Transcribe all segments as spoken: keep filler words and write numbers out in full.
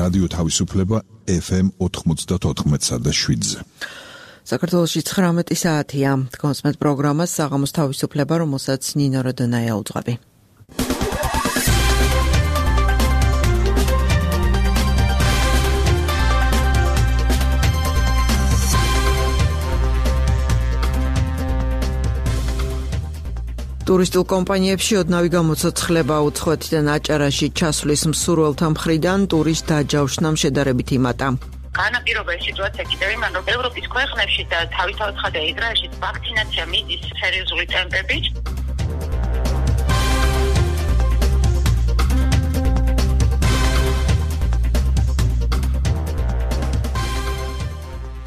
რადიო თავისუფლება ეფ ემ ოთხმოცდაოთხ და შვიდზე. საქართველოში ცხრამეტი საათია. კონსმეთ პროგრამას საღამოს თავისუფლება, რომელსაც ნინო როდონაია უძღვები. ტურისტულ კომპანიებში ოდნავი გამოცოცხლება უცხოეთიდან აჭარაში ჩასვლის მსურველთა მხრიდან ტურისტ დაჯავშნამ შედარებით იმატა. განაპირობა სიტუაცია კიდევ იმან, რომ ევროპის ქვეყნებში და თავისთავად ხდება ისრაელში ვაქცინაცია მიდის სერიოზული ტემპებით.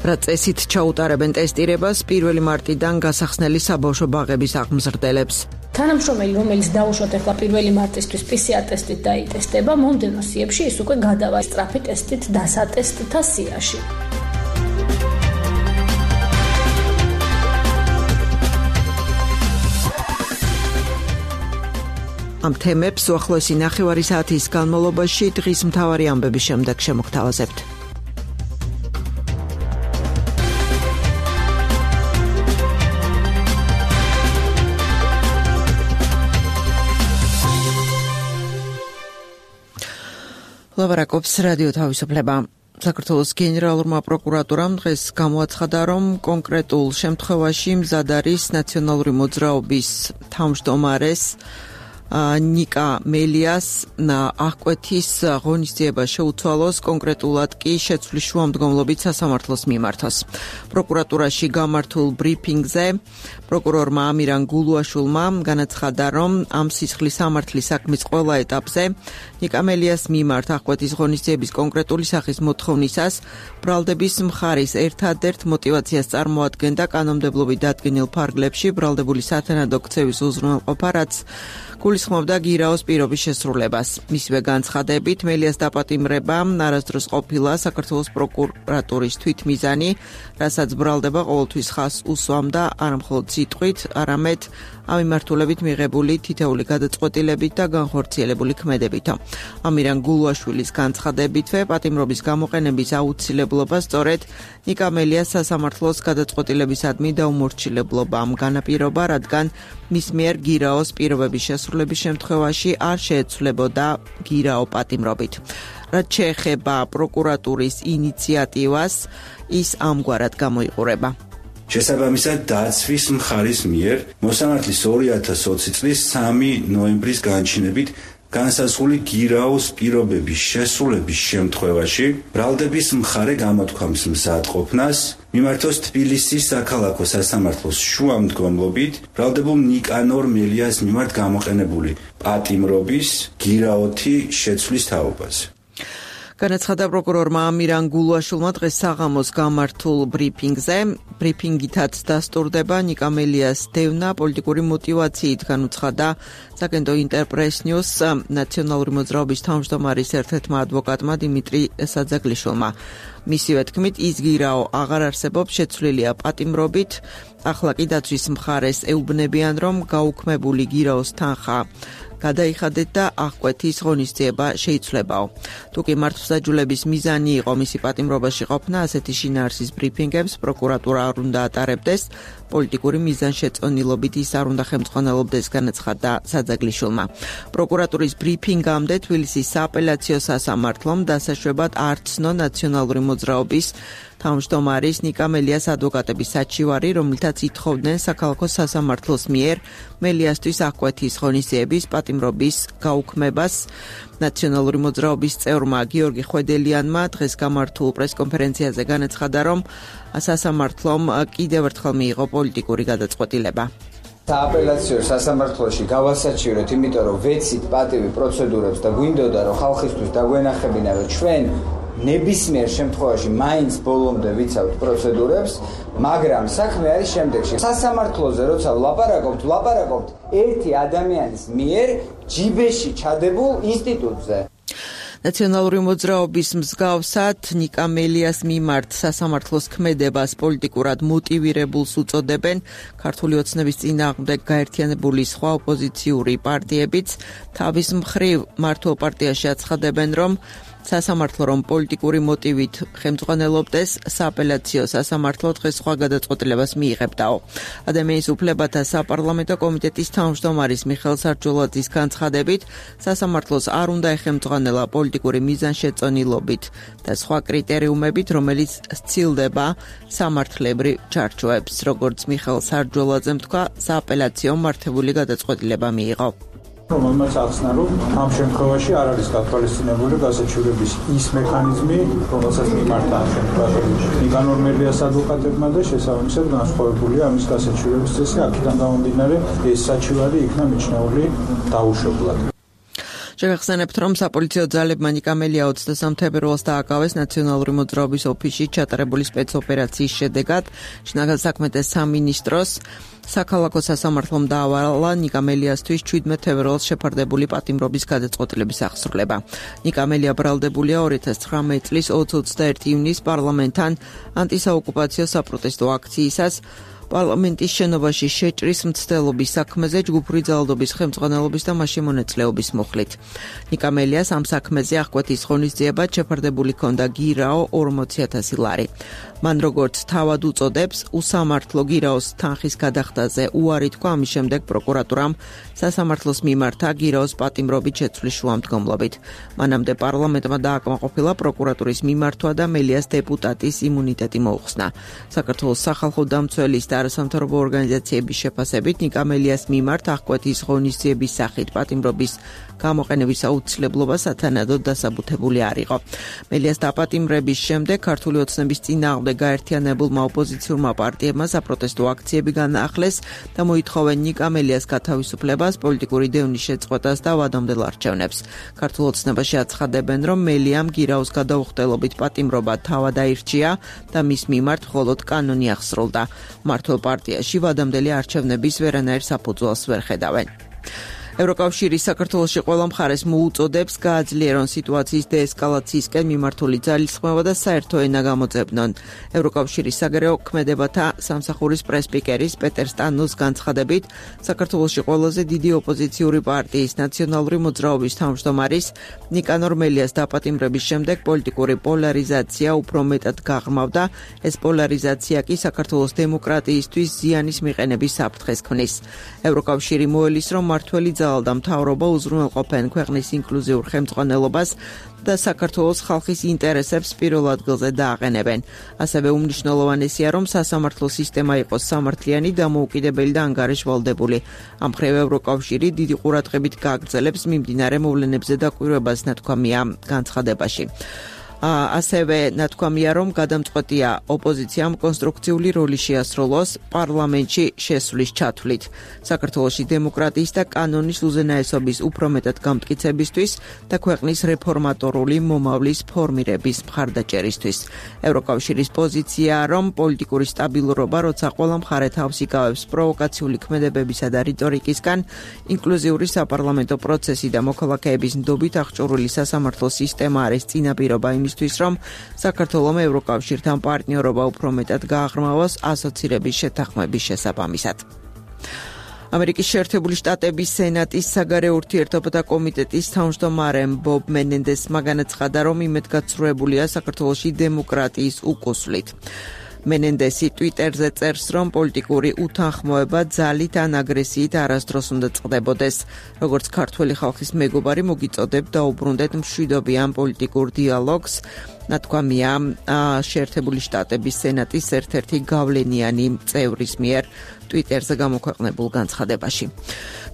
რა წესით ჩაუტარებენ ტესტირებას პირველი მარტიდან გასახსნელი საბავშვო ბაღების აღმზრდელებს. თანამშრომელი, რომელიც დაუშვათ ახლა პირველი მარტისთვის პი სი არ ტესტით დაიტესტება, მომდევნო სიებში ის უკვე გადავა სწრაფი ტესტით დასატესტთა სიაში. ამ თემებს უახლოესი ნახევარი საათის განმავლობაში დღის მთავარი ამბების შემდეგ შემოგთავაზებთ. ლაბარაკობს რადიო თავისუფლება. საქართველოს გენერალურმა პროკურატურამ დღეს გამოაცხადა, რომ კონკრეტულ შემთხვევაში მზად არის ნაციონალური მოძრაობის თავმჯდომარეს ნიკა მელიას აღკვეთის ღონისძიება შეუცვალოს, კონკრეტულად კი შეცვლის შუამდგომლობით სასამართლოს მიმართოს. პროკურატურაში გამართულ ბრიფინგზე პროკურორმა ამირან გულუაშვილმა განაცხადა, რომ ამ სისხლის სამართლის საქმის ყველა ეტაპზე ნიკა მელიას მიმართ აღკვეთის ღონისძიების კონკრეტული სახის მოთხოვნისას ბრალდების მხარის ერთადერთ მოტივაციას წარმოადგენდა კანონმდებლობით დადგენილ ფარგლებში ბრალდებული სათანადო ქცევის უზრუნველყოფა, რაც გულისხმობდა გირაოს პირობის შესრულებას. მისივე განცხადებით, მელიას დაპატიმრება არასდროს ყოფილა საქართველოს პროკურატურის თვითმიზანი, რასაც ბრალდება ყოველთვის ხაზს უსვამდა არამხოლოდ სიტყვით, არამედ ამ მიმართულებით მიღებული თითეული გადაწყვეტილებით და განხორციელებული ქმედებითო. ამირან გულუაშვილის განცხადებითვე, პატიმრობის გამოყენების აუცილებლობა სწორედ ნიკა მელიას სასამართლოს გადაწყვეტილებისადმი დაუმორჩილებლობა ამ განაპირობა, რადგან მის მიერ გირაოს პირობების შესრულების შემთხვევაში არ შეეცვლებოდა გირაო პატიმრობით. რაც შეეხება პროკურატურის ინიციატივას, ის ამგვარად გამოიყურება. შესაბამისად, დაცვის მხარის მიერ მოსამართლის ორი ათას ოცი წლის სამი ნოემბრის განჩინებით განსაზღვრული გირაოს პირობების შესრულების შემთხვევაში ბრალდების მხარე გამოთქვამს მზადყოფნას მიმართოს თბილისის საქალაქო სასამართლოს შუამდგომლობით ბრალდებულ ნიკანორ მელიას მიმართ გამოყენებული პატიმრობის გირაოთი შეცვლის თაობაზე. განაცხადა პროკურორმა ამირან გულუაშვილმა დღეს საღამოს გამართულ ბრიფინგზე. ბრიფინგითაც დასტურდება ნიკა მელიას დევნა პოლიტიკური მოტივაციით, განუცხადა საკენტო ინტერპრეს ნიუს ნაციონალური მოძრაობის თავმჯდომარის ერთ-ერთმა ადვოკატმა დიმიტრი საძაგლიშვილმა. მისივე თქმით, ის გირაო აღარ არსებობს, შეცვლილია პატიმრობით. ახლა კი დაცვის მხარეს ეუბნებიან, რომ გაუქმებული გირაოს თანხა გადაიხადეთ და აღკვეთის ღონისძიება შეიცვლებაო. თუკი მართლმსაჯულების მიზანი იყო მისი პატიმრობაში ყოფნა, ასეთი შინაარსის ბრიფინგებს პროკურატურა არ უნდა ატარებდეს, პოლიტიკური მიზანშეწონილობით ის არ უნდა ხელმძღვანელობდეს, განაცხადა საძაგლიშვილმა. პროკურატურის ბრიფინგამდე თბილისის სააპელაციო სასამართლომ დასაშვებად არ ცნო ნაციონალური მოძრაობის თავმჯდომარის ნიკა მელიას ადვოკატების საჩივარი, რომლითაც ითხოვდნენ საქალაქო სასამართლოს მიერ მელიასთვის აღკვეთის ღონისძიების პატიმრობის გაუქმებას. ნაციონალური მოძრაობის წევრმა გიორგი ხვედელიანმა დღეს გამართულ პრესკონფერენციაზე განაცხადა, რომ სასამართლომ კიდევ ერთხელ მიიღო პოლიტიკური გადაწყვეტილება. სააპელაციო სასამართლოში გავასაჩივრეთ, იმიტომ რომ ვეცით პატივი პროცედურებს და გვინდოდა რომ ხალხისთვის დაგვენახებინა, რომ ჩვენ ნებისმიერ შემთხვევაში მაინც ბოლომდე ვიცავთ პროცედურებს, მაგრამ საქმე არის შემდეგში. სასამართლოზე როცა ვლაპარაკობთ, ვლაპარაკობთ ერთი ადამიანის მიერ ჯიბეში ჩადებულ ინსტიტუტზე. ნაციონალური მოძრაობის მსგავსად ნიკა მელიას მიმართ სასამართლოს ქმედებას პოლიტიკურად მოტივირებულს უწოდებენ ქართული ოცნების წინააღმდეგ გაერთიანებული სხვა ოპოზიციური პარტიებიც. თავის მხრივ მართლ პარტიაში აცხადებენ, რომ სასამართლო რომ პოლიტიკური მოტივით ხელმძღვანელობდეს, სააპელაციო სასამართლო დღეს სხვა გადაწყვეტილებას მიიღებდაო. ადამიანის უფლებათა საპარლამენტო კომიტეტის თავმჯდომარის მიხეილ სარჯოლაძის განცხადებით, სასამართლოს არ უნდა ეხელმძღვანელა პოლიტიკური მიზანშეწონილობით და სხვა კრიტერიუმებით, რომელიც სცილდება სამართლებრივ ჩარჩოებს. როგორც მიხეილ სარჯოლაძემ თქვა, სააპელაციო მართებული გადაწყვეტილება მიიღო. რომელმაც ახსნა, რომ ამ შემთხვევაში არ არის გათვალისწინებული გასაჩივრების ის მექანიზმი, რომელსაც მიმართა ამ შემთხვევაში ნიკანორ მელიას ადვოკატებმა და შესაბამისად განსხვავებულია ამის გასაჩივრების წესი. აქედან გამომდინარე, ეს საჩივარი იქნა მიჩნეული დაუშვებლად. შევახსენებთ, რომ საპოლიციო ძალებმა ნიკა მელია ოცდასამ თებერვალს დააკავეს ნაციონალური მოძრაობის ოფისში ჩატარებული სპეცოპერაციის შედეგად. შინაგან საქმეთა სამინისტროს საქალაქო სასამართლომ დაავალა ნიკა მელიასთვის შვიდმეტ თებერვალს შეფარდებული პატიმრობის გადაწყვეტილების აღსრულება. ნიკა მელია ბრალდებულია ორი ათას ცხრამეტი წლის ოცდაერთი ივნის პარლამენტთან ანტისაოკუპაციო საპროტესტო აქციისას პარლამენტის შენობაში შეჭრის მცდელობის საქმეზე ჯგუფური ძალადობის ხელმძღვანელობის და მასში მონაწილეობის მოხლით. ნიკა მელიას ამ საქმეზე აღკვეთის ღონისძიებად შეფარდებული ჰქონდა გირაო ორმოცი ათასი ლარი. მან როგორც თავად უწოდებს, უსამართლო გირაოს თანხის გადახდაზე უარი თქვა, ამის შემდეგ პროკურატურამ სასამართლოს მიმართა გირაოს პატიმრობით შეცვლის შუამდგომლობით. მანამდე პარლამენტმა დააკმაყოფილა პროკურატურის მიმართვა და მელიას დეპუტატის იმუნიტეტი მოუხსნა. საქართველოს სახალხო დამცველის და არასამთავრობო ორგანიზაციების შეფასებით ნიკა მელიას მიმართ აღკვეთის ღონისძიების სახით პატიმრობის გამოყენების აუცილებლობა სათანადოდ დასაბუთებული არ იყო. მელიას დაპატიმრების შემდეგ ქართული ოცნების წინააღმდეგ გაერთიანებულმა ოპოზიციურმა პარტიებმა საპროტესტო აქციები განაახლეს და მოითხოვენ ნიკა მელიას გათავისუფლებას, პოლიტიკური დევნის შეწყვეტას და ვადამდელ არჩევნებს. ქართულ ოცნებაში აცხადებენ, რომ მელიამ გირაოს გადაუხდელობით პატიმრობა თავად აირჩია და მის მიმართ მხოლოდ კანონი აღსრულდა. მართლ პარტიაში ვადამდელი არჩევნების ვერანაირ საფუძველს ვერ ხედავენ. ევროკავშირი საქართველოში ყველა მხარეს მოუწოდებს გააძლიერონ სიტუაციის დეესკალაციისკენ მიმართული ძალისხმევა და საერთო ენა გამოძებნონ. ევროკავშირის საგარეო ქმედებათა სამსახურის პრესპიკერის პეტერ სტანოს განცხადებით, საქართველოში ყველაზე დიდი ოპოზიციური პარტიის ნაციონალური მოძრაობის თავმჯდომარის ნიკანორ მელიას დაპატიმრების შემდეგ პოლიტიკური პოლარიზაცია უფრო მეტად გაღრმავდა. ეს პოლარიზაცია კი საქართველოს დემოკრატიისთვის ზიანის მიყენების საფრთხეს ქმნის. ევროკავშირი მოელის, რომ მართველი და მთავრობა უზრუნველყოფენ ქვეყნის ინკლუზიურ ხელმძღვანელობას და საქართველოს ხალხის ინტერესებს პირველ ადგილზე დააყენებენ. ასევე უმნიშვნელოვანესია, რომ სასამართლო სისტემა იყოს სამართლიანი, დამოუკიდებელი და ანგარიშვალდებული. ამ მხრივ ევროკავშირი დიდი ყურადღებით გააგრძელებს მიმდინარე მოვლენებზე დაკვირვებას, ნათქვამია განცხადებაში. ასევე ნათქვამია, რომ გადამწყვეტია ოპოზიციამ კონსტრუქციული როლი შეასრულოს პარლამენტში შესვლის ჩათვლით. საქართველოში დემოკრატიის და კანონის უზენაესობის უფრო მეტად გამტკიცებისთვის და ქვეყნის რეფორმატორული მომავლის ფორმირების მხარდაჭერისთვის. ევროკავშირის პოზიციაა, რომ პოლიტიკური სტაბილურობა, როცა ყველა მხარე თავს იკავებს პროვოკაციული ქმედებებისა და რიტორიკისგან, ინკლუზიური საპარლამენტო პროცესი და მოქალაქეების ნდობით აღჭურვილი სასამართლო სისტემა არის წინაპირობა იმისთვის, რომ საქართველოს ევროკავშირთან პარტნიორობა უფრო მეტად გააღრმავოს ასოცირების შეთანხმების შესაბამისად. ამერიკის შეერთებული შტატების სენატის საგარეო ურთიერთობათა კომიტეტის თავმჯდომარემ ბობ მენენდესმა განაცხადა, რომ იმედგაცრუებულია საქართველოში დემოკრატიის უკუსვლით. მენენდესი ტვიტერზე წერს, რომ პოლიტიკური უთანხმოება ძალით ან აგრესიით არასდროს უნდა წყდებოდეს. როგორც ქართველი ხალხის მეგობარი მოგიწოდებ დაუბრუნდეთ მშვიდობიან პოლიტიკურ დიალოგს. ნათქვამია შეერთებული შტატების სენატის ერთ-ერთი გავლენიანი წევრის მიერ ტვიტერზე გამოქვეყნებულ განცხადებაში.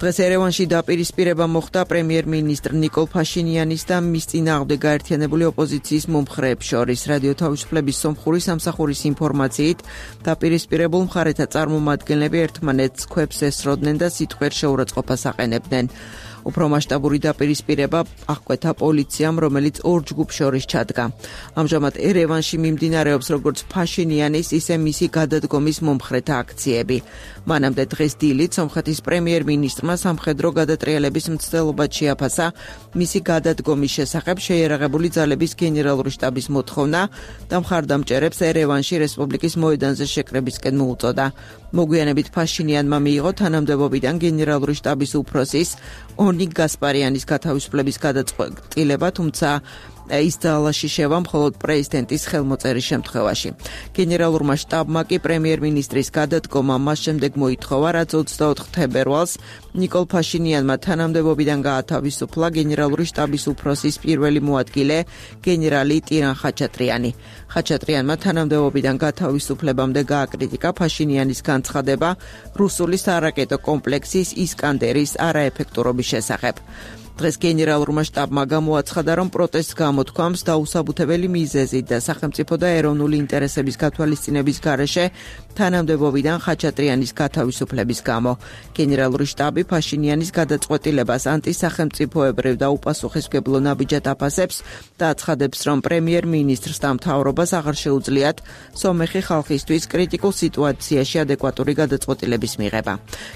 დღეს ერევანში დაპირისპირება მოხდა პრემიერ-მინისტრ ნიკოლ ფაშინიანის და მის წინააღმდეგ გაერთიანებული ოპოზიციის მომხრეებს შორის. რადიო თავისუფლების სომხური სამსახურის ინფორმაციით, დაპირისპირებულ მხარეთა წარმომადგენლები ერთმანეთს ქვებს ესროდნენ და სიტყვიერ შეურაცხყოფას აყენებდნენ. უფრო მასშტაბური დაპირისპირება აღკვეთა პოლიციამ, რომელიც ორ ჯგუფს შორის ჩადგა. ამჟამად ერევანში მიმდინარეობს როგორც ფაშინიანის, ისე მისი გადადგომის მომხრეთა აქციები. მანამდე დღეს დილით სომხეთის პრემიერ-მინისტრმა სამხედრო გადატრიალების მცდელობა შეაფასა მისი გადადგომის შესახებ შეიარაღებული ძალების გენერალური შტაბის მოთხოვნა და მხარდამჭერებს ერევანში რესპუბლიკის მოედანზე შეკრებისკენ მოუწოდა. მოგვიანებით ფაშინიანმა მიიღო თანამდებობიდან გენერალური შტაბის უფროსის ონიგ გასპარიანის გათავისუფლების გადაწყვეტილება, თუმცა ის ძალაში შევა მხოლოდ პრეზიდენტის ხელმოწერის შემთხვევაში. გენერალურმა შტაბმა კი პრემიერ-მინისტრის გადადგომა მას შემდეგ მოითხოვა, რაც ოცდაოთხ თებერვალს ნიკოლ ფაშინიანმა თანამდებობიდან გაათავისუფლა გენერალური შტაბის უფროსის პირველი მოადგილე გენერალი ტირან ხაჩატრიანი. ხაჩატრიანმა თანამდებობიდან გათავისუფლებამდე გააკრიტიკა ფაშინიანის განცხადება რუსული სარაკეტო კომპლექსის ისკანდერის არაეფექტურობის შესახებ. დღეს გენერალურმა შტაბმა გამოაცხადა, რომ პროტესტს გამოთქვამს დაუსაბუთებელი მიზეზით და სახელმწიფო და ეროვნული ინტერესების გათვალისწინების გარეშე თანამდებობიდან ხაჩატრიანის გათავისუფლების გამო. გენერალური შტაბი ფაშინიანის გადაწყვეტილებას ანტისახელმწიფოებრივ და უპასუხისმგებლო ნაბიჯად აფასებს და აცხადებს, რომ პრემიერ-მინისტრს და მთავრობას აღარ შეუძლიათ სომეხი ხალხისთვის კრიტიკულ სიტუაციაში ადეკვატური გადაწყვეტილების მიღება.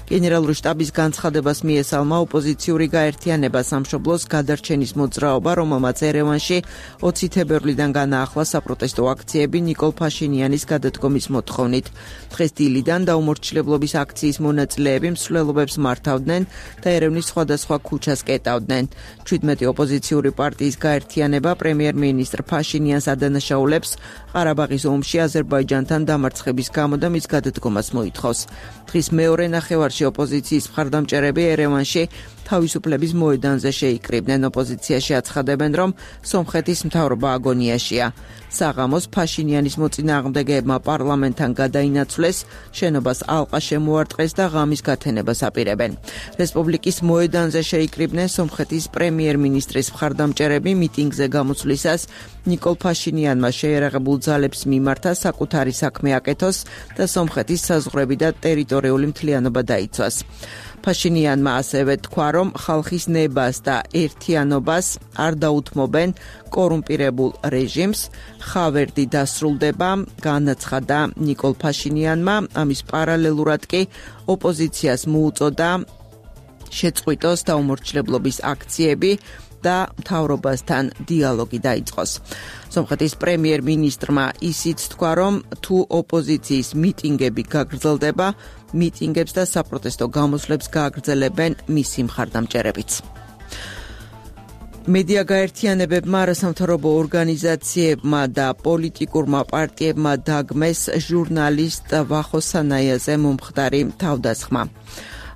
გენერალური შტაბის განცხადებას მიესალმა ოპოზიციური გაერთიანება სამშობლოს გადარჩენის მოძრაობა, რომელმაც ერევანში ოცი თებერვლიდან განაახლა საპროტესტო აქციები ნიკოლ ფაშინიანის გადადგომის მოთხოვნით. დღეს დილიდან დაუმორჩილებლობის აქციის მონაწილეები მსვლელობებს მართავდნენ და ერევნის სხვადასხვა ქუჩას კეტავდნენ. ჩვიდმეტი ოპოზიციური პარტიის გაერთიანება პრემიერ-მინისტრ ფაშინიანს ადანაშაულებს ყარაბაღის ომში აზერბაიჯანთან დამარცხების გამო და მის გადადგომას მოითხოვს. დღის მეორე ნახევარში ოპოზიციის მხარდამჭერები ერევანში თავისუფლების მოედანზე შეიკრიბნენ. ოპოზიციაში აცხადებენ, რომ სომხეთის მთავრობა აგონიაშია. საღამოს ფაშინიანის მოწინააღმდეგეებმა პარლამენტთან გადაინაცვლეს, შენობას ალყა შემოარტყეს და ღამის გათენებას აპირებენ. რესპუბლიკის მოედანზე შეიკრიბნენ სომხეთის პრემიერ-მინისტრის მხარდამჭერები მიტინგზე გამოსვლისას ნიკოლ ფაშინიანმა შეერაღებულ ძალებს მიმართა საკუთარი საქმე აკეთოს და სომხეთის საზღვრები და ტერიტორიული მთლიანობა დაიცვას. ფაშინიანმა ასევე თქვა, რომ ხალხის ნებას და ერთიანობას არ დაუთმობენ კორუმპირებულ რეჟიმს, ხავერდი დასრულდება, განაცხადა ნიკოლ ფაშინიანმა. ამის პარალელურად კი ოპოზიციას მოუწოდა შეწყვიტოს დაუმორჩილებლობის აქციები და მთავრობასთან დიალოგი დაიწყოს. სომხეთის პრემიერ-მინისტრმა ისიც თქვა, რომ თუ ოპოზიციის მიტინგები გაგრძელდება, მიტინგებს და საპროტესტო გამოსვლებს გააგრძელებენ მისი მხარდამჭერებიც. მედია გაერთიანებებმა, არასამთავრობო ორგანიზაციებმა და პოლიტიკურმა პარტიებმა დაგმეს ჟურნალისტ ვახო სანაიაზე მომხდარი თავდასხმა.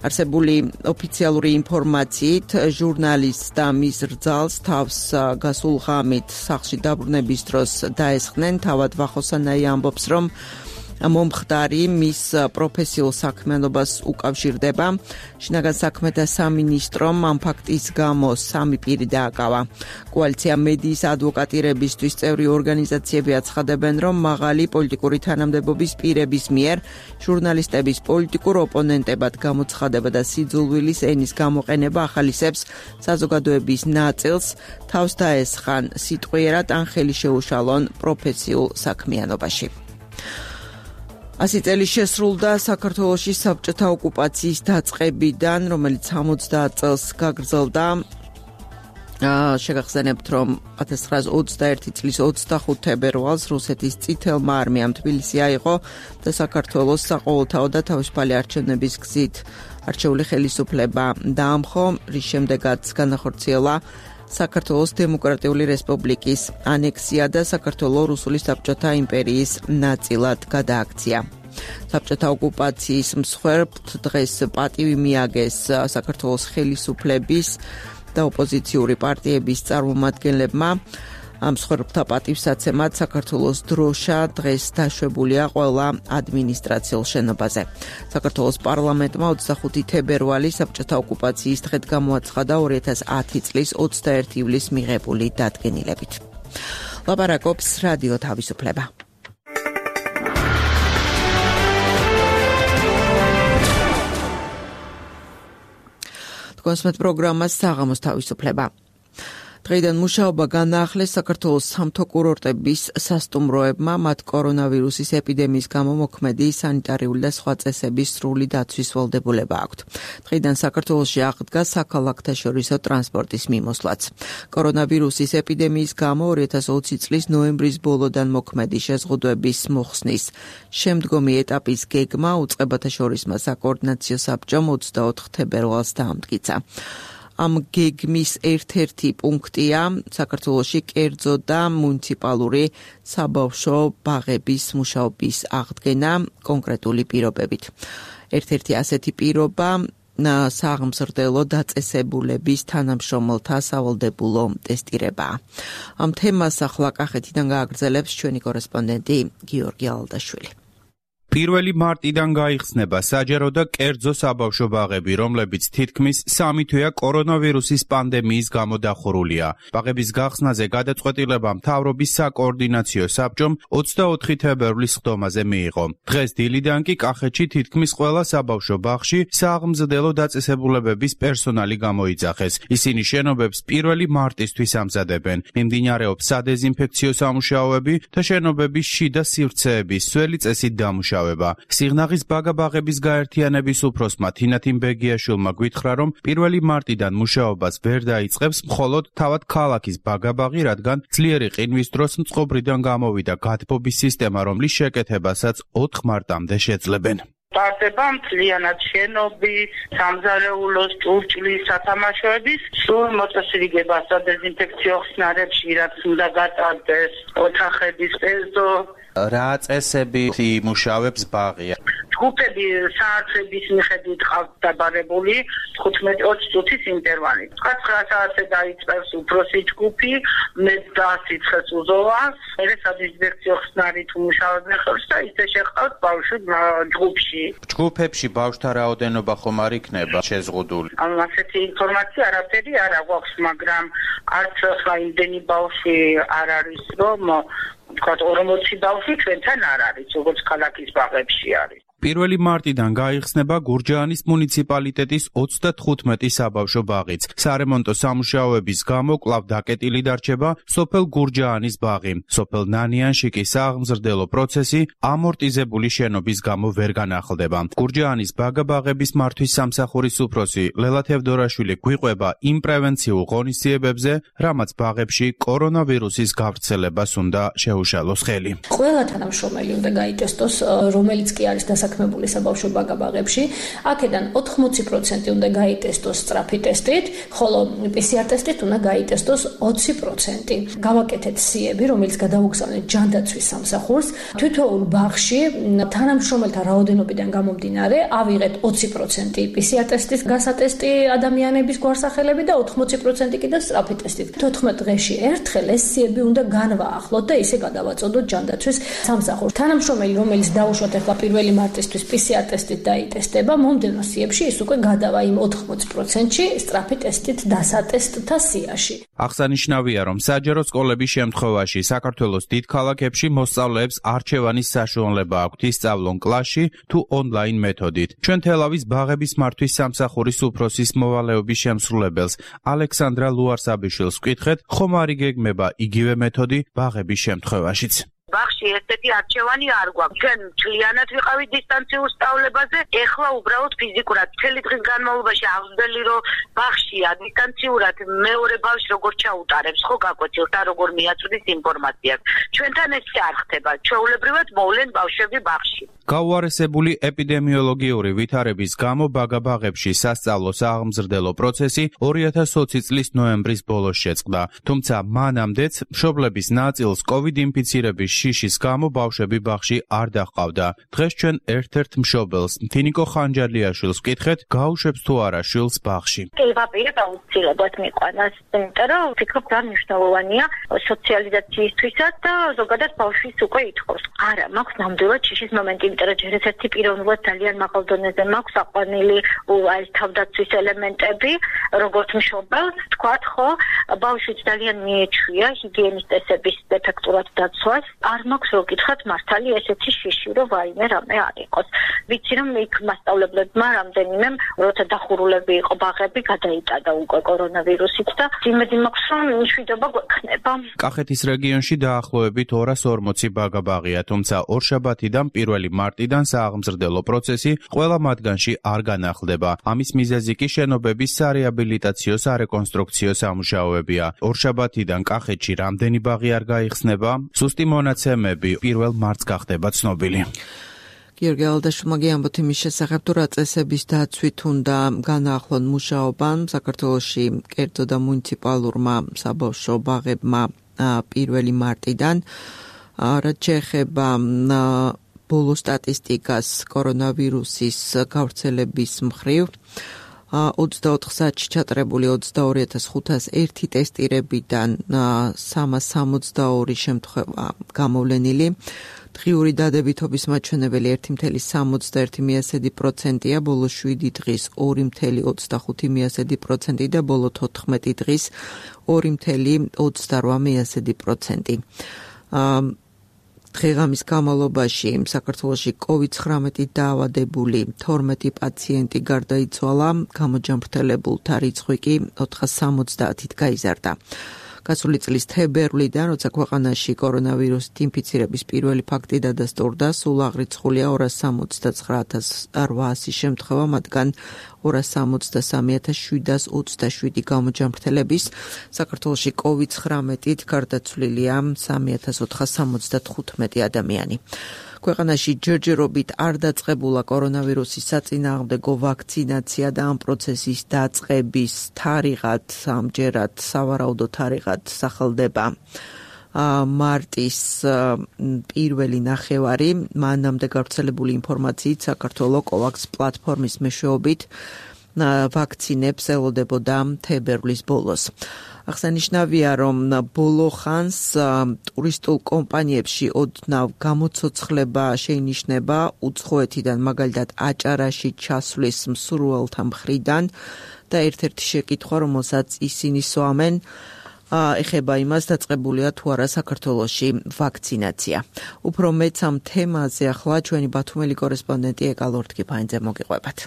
არსებული ოფიციალური ინფორმაციით ჟურნალისტს და მის რძალს თავს გასულ ღამით სახლში დაბრუნების დროს დაესხნენ. თავად ვახო სანაია ამბობს, რომ მომხდარი მის პროფესიულ საქმიანობას უკავშირდება. შინაგან საქმეთა სამინისტრომ ამ ფაქტის გამო სამი პირი დააკავა. კოალიცია მედიის ადვოკატირებისთვის წევრი ორგანიზაციები აცხადებენ, რომ მაღალი პოლიტიკური თანამდებობის პირების მიერ ჟურნალისტების პოლიტიკურ ოპონენტებად გამოცხადება და სიძულვილის ენის გამოყენება ახალისებს საზოგადოების ნაწილს თავს დაესხან სიტყვიერად ან ხელი შეუშალონ პროფესიულ საქმიანობაში. ასი წელი შესრულდა საქართველოში საბჭოთა ოკუპაციის დაწყებიდან, რომელიც ორმოცდაათ წელს გაგრძელდა. შეგახსენებთ, რომ ათას ცხრაას ოცდაერთი წლის ოცდახუთ თებერვალს რუსეთის წითელმა არმიამ თბილისი აიღო და საქართველოს საყოველთაო და თავისუფალი არჩევნების გზით არჩეული ხელისუფლება დაამხო, რის შემდეგაც განახორციელა საქართველოს დემოკრატიული რესპუბლიკის ანექსია და საქართველოს რუსული საბჭოთა იმპერიის ნაწილად გადააქცია. საბჭოთა ოკუპაციის მსხვერპლთ დღეს პატივი მიაგეს საქართველოს ხელისუფლების და ოპოზიციური პარტიების წარმომადგენლებმა. ამ მსხვერპლთა პატივსაცემად საქართველოს დროშა დღეს დაშვებულია ყველა ადმინისტრაციულ შენობაზე. საქართველოს პარლამენტმა ოცდახუთი თებერვალი საბჭოთა ოკუპაციის დღედ გამოაცხადა ორი ათას ათი წლის ოცდაერთი ივლისს მიღებული დადგენილებით. ლაპარაკობს რადიო თავისუფლება. კონსმეთ პროგრამას საღამოს თავისუფლება. დღეიდან მუშაობა განაახლეს საქართველოს სამთო კურორტების სასტუმროებმა, მათ კორონავირუსის ეპიდემიის გამო მოქმედი სანიტარიული და სხვა წესების სრული დაცვის ვალდებულება აქვთ. დღეიდან საქართველოში აღდგა საქალაქთაშორისო ტრანსპორტის მიმოსვლაც. კორონავირუსის ეპიდემიის გამო ორი ათას ოცი წლის ნოემბრის ბოლოდან მოქმედი შეზღუდვების მოხსნის შემდგომი ეტაპის გეგმა უწყებათა შორისმა საკოორდინაციო საბჭომ ოცდაოთხ თებერვალს დაამტკიცა. ამ გეგმის ერთ-ერთი პუნქტია საქართველოში კერძო და მუნიციპალური საბავშვო ბაღების მუშაობის აღდგენა კონკრეტული პირობებით. ერთ-ერთი ასეთი პირობა საღმზრდელო დაწესებულების თანამშრომელთა სავალდებულო ტესტირება. ამ თემას ახლა კახეთიდან გააგრძელებს ჩვენი კორესპონდენტი გიორგი ალდაშვილი. პირველი მარტიდან გაიხსნება საჯარო და კერძო საბავშვო ბაღები, რომლებიც თითქმის სამი თვეა კორონავირუსის პანდემიის გამო დახურულია. ბაღების გახსნაზე გადაწყვეტილება მთავრობის საკოორდინაციო საბჭომ ოცდაოთხი თებერვლის სხდომაზე მიიღო. დღეს დილიდან კი კახეთში თითქმის ყველა საბავშვო ბაღში სააღმზრდელო დაწესებულებების პერსონალი გამოიძახეს. ისინი შენობებს პირველი მარტისთვის ამზადებენ. მიმდინარეობს სადეზინფექციო სამუშაოები და შენობების შიდა სივრცეების სველი წესით დამუშავება. სიღნაღის ბაგა-ბაღების გაერთიანების უფროსმა თინათინ ბეგიაშვილმა გვითხრა, რომ პირველი მარტიდან მუშაობას ვერ დაიწყებს მხოლოდ თავად ქალაქის ბაგა-ბაღი, რადგან ძლიერი ყინვის დროს მწყობრიდან გამოვიდა გათბობის სისტემა, რომლის შეკეთებასაც ოთხ მარტამდე შეძლებენ. ტარდება მთლიანად შენობის, სამზარეულოს, ჭურჭლის, სათამაშოების სრულ მოწესრიგება სადეზინფექციო ხსნარებში, რაც უნდა გატარდეს ოთახების ეზო. რა წესებით იმუშავებს ბაღი? ჯგუფები საათების მიხედვით ყავთ დაბარებული თხუთმეტი ოცი წუთის ინტერვალით. ცხრა საათზე დაიწყებს უფროსი ჯგუფი, მეც დაასიცხეს უზოვას, მერე სადეზინფექციო ხსნარით უმუშავებენ ხელს და ისე შეყავთ ბავშვი ჯგუფში. ჯგუფებში ბავშვთა რაოდენობა ხომ არ იქნება შეზღუდული? ამ ასეთი ინფორმაცია არაფერი არ აქვს, მაგრამ არც ახლა იმდენი ბავშვი არ არის, რომ თქვათ ორმოცი ბავშვი ჩვენთან არ არის, როგორც ქალაქის ბაღებში არის. პირველი მარტიდან გაიხსნება გურჯაანის მუნიციპალიტეტის ოცდათხუთმეტი საბავშვო ბაღიც. სარემონტო სამუშაოების გამო კვლავ დაკეტილი დარჩება სოფელ გურჯაანის ბაღი. სოფელ ნანიანში კი სააღმზრდელო პროცესი ამორტიზებული შენობის გამო ვერ განახლდება. გურჯაანის ბაგა-ბაღების მართვის სამსახურის უფროსი ლელა თევდორაშვილი გვიყვება იმ პრევენციულ ღონისძიებებზე, რამაც ბაღებში კორონავირუსის გავრცელებას უნდა შეუშალოს ხელი. ყველა თანამშრომელი უნდა გაიტესტოს, რომელიც კი არის დასაქმებული საბავშვო ბაგა-ბაღებში. აქედან ოთხმოცი პროცენტი უნდა გაიტესტოს სწრაფი ტესტით, ხოლო პი სი არ ტესტით უნდა გაიტესტოს ოცი პროცენტი. გავაკეთეთ სიები, რომელიც გადავუგზავნეთ ჯანდაცვის სამსახურს. თითოეულ ბაღში თანამშრომელთა რაოდენობიდან გამომდინარე ავიღეთ ოცი პროცენტი პი სი არ ტესტის გასატესტი ადამიანების გვარსახელები და ოთხმოცი პროცენტი კიდევ სწრაფი ტესტით. თოთხმეტ დღეში ერთხელ ეს სიები უნდა განვაახლოთ და ისე გადავაწოდოთ ჯანდაცვის სამსახურს. თანამშრომელი, რომელიც დაუშვათ ახლა პირველი მარტის პი სი არ ტესტით დაიტესტება, მომდევნო სიებში ის უკვე გადავა იმ ოთხმოცი პროცენტში სწრაფი ტესტით დასატესტთა სიაში. აღსანიშნავია, რომ საჯარო სკოლების შემთხვევაში საქართველოს დიდ ქალაქებში მოსწავლეებს არჩევანის საშუალება აქვთ ისწავლონ კლასში თუ ონლაინ მეთოდით. ჩვენ თელავის ბაღების მართვის სამსახურის უფროსის მოვალეობის შემსრულებელს ალექსანდრა ლუარსაბიშვილს ვკითხეთ, ხომ არ იგეგმება იგივე მეთოდი ბაღების შემთხვევაშიც. ბაღში ესეთი არჩევანი არ გვაქვს. ჩვენ მთლიანად ვიყავით დისტანციურ სწავლებაზე, ეხლა უბრალოდ ფიზიკურად მთელი დღის განმავლობაში ავსდელი რომ ბაღშია დისტანციურად მეორე ბავშვს როგორ ჩაუტარებს, ხო გაკვეთილს და როგორ მიაწვდის ინფორმაციას. ჩვენთან ესე არ ხდება. ჩვეულებრივად მოვლენ ბავშვები ბაღში. გაუარესებული ეპიდემიოლოგიური ვითარების გამო ბაგა-ბაღებში სასწავლო სააღმზრდელო პროცესი ორი ათას ოცი წლის ნოემბრის ბოლოს შეწყდა. თუმცა მანამდეც მშობლების ნაწილს კოვიდ ინფიცირების შიშის გამო ბავშვები ბაღში არ დაჰყავდა. დღეს ჩვენ ერთ-ერთ მშობელს, თინიკო ხანჯალიაშვილს ვკითხეთ, გაუშვებს თუ არა შვილს ბაღში. ვაპირებ აუცილებლად მიყვანას, იმიტომ რომ ვფიქრობ, რა მნიშვნელოვანია სოციალიზაციისთვისაც და ზოგადად ბავშვის უკვე ითხოვს. არა, მაქვს ნამდვილად შიშის მომენტი, იმიტომ რომ ჯერ ერთი პიროვნულად ძალიან მაღალ დონეზე მაქვს აყვანილი აი თავდაცვის ელემენტები, როგორც მშობელს, თქვათ ხო, ბავშვიც ძალიან მიეჩვია ჰიგიენის წესების ეფექტურად დაცვას. არ მაქვს რო გითხრათ მართალი ესეთი შიში, რომ ვაიმე რამე არ იყოს. ვიცი რომ იქ მასწავლებლებმა რამდენიმე როცა დახურულები იყო ბაღები გადაიტადა უკვე კორონავირუსით და იმედი მაქვს რომ მშვიდობა გვექნება. კახეთის რეგიონში დაახლოებით ორას ორმოცი ბაგა-ბაღია, თუმცა ორშაბათიდან პირველი მარტიდან სააღმზრდელო პროცესი ყველა მათგანში არ განახლდება. ამის მიზეზი კი შენობების სარეაბილიტაციო სარეკონსტრუქციო სამუშაოებია. ორშაბათიდან კახეთში რამდენი ბაღი არ გაიხსნება, სუსტი მონაცემები პირველ მარტს გახდება ცნობილი. გიორგი ალდაშვილმა გიამბოთ იმის შესახებ, თუ რა წესების დაცვით უნდა განაახლონ მუშაობა საქართველოში კერძო და მუნიციპალურმა საბავშვო ბაღებმა პირველი მარტიდან. რაც შეეხება ბოლო სტატისტიკას კორონავირუსის გავრცელების მხრივ, ოცდაოთხ საათში ჩატარებული ოცდაორი ათას ხუთას ერთი ტესტირებიდან სამას სამოცდაორი შემთხვევა გამოვლენილი. დღიური დადებითობის მაჩვენებელი ერთი მცდარი სამოცდაერთი პროცენტია, ბოლო შვიდი დღის ორი მცდარი ოცდახუთი პროცენტი და ბოლო თოთხმეტი დღის ორი მცდარი ოცდარვა პროცენტი. დღეღამის განმავლობაში საქართველოში კოვიდ ცხრამეტი დაავადებული თორმეტი პაციენტი გარდაიცვალა, გამოჯანმრთელებულთა რიცხვი კი ოთხას სამოცდაათით გაიზარდა. გასული წლის თებერვლიდან, როცა ქვეყანაში კორონავირუსით ინფიცირების პირველი ფაქტი დადასტურდა, სულ აღრიცხულია ორას სამოცდაცხრა ათას რვაასი შემთხვევა, მათგან ორას სამოცდასამი ათას შვიდას ოცდაშვიდი გამოჯანმრთელების. საქართველოში კოვიდ ცხრამეტით გარდაცვლილია სამი ათას ოთხას სამოცდათხუთმეტი ადამიანი. ქვეყანაში ჯერჯერობით არ დაწყებულა კორონავირუსის საწინააღმდეგო ვაქცინაცია და ამ პროცესის დაწყების თარიღად ამჯერად სავარაუდო თარიღად სახელდება მარტის პირველი ნახევარი. მანამდე გავრცელებული ინფორმაციით საქართველოს კოვაქს პლატფორმის მეშვეობით ვაქცინებს ელოდებოდა თებერვლის ბოლოს. აღსანიშნავია, რომ ბოლო ხანს ტურისტულ კომპანიებში ოდნავ გამოცოცხლება შეინიშნება უცხოეთიდან, მაგალითად აჭარაში ჩასვლის მსურველთა მხრიდან და ერთ-ერთი შეკითხვა, რომელსაც ისინი სვამენ, ეხება იმას, დაწყებულია თუ არა საქართველოში ვაქცინაცია. უფრო მეც ამ თემაზე ახლა ჩვენი ბათუმელი კორესპონდენტი ეკა ლორთქიფაინძე მოგიყვებათ.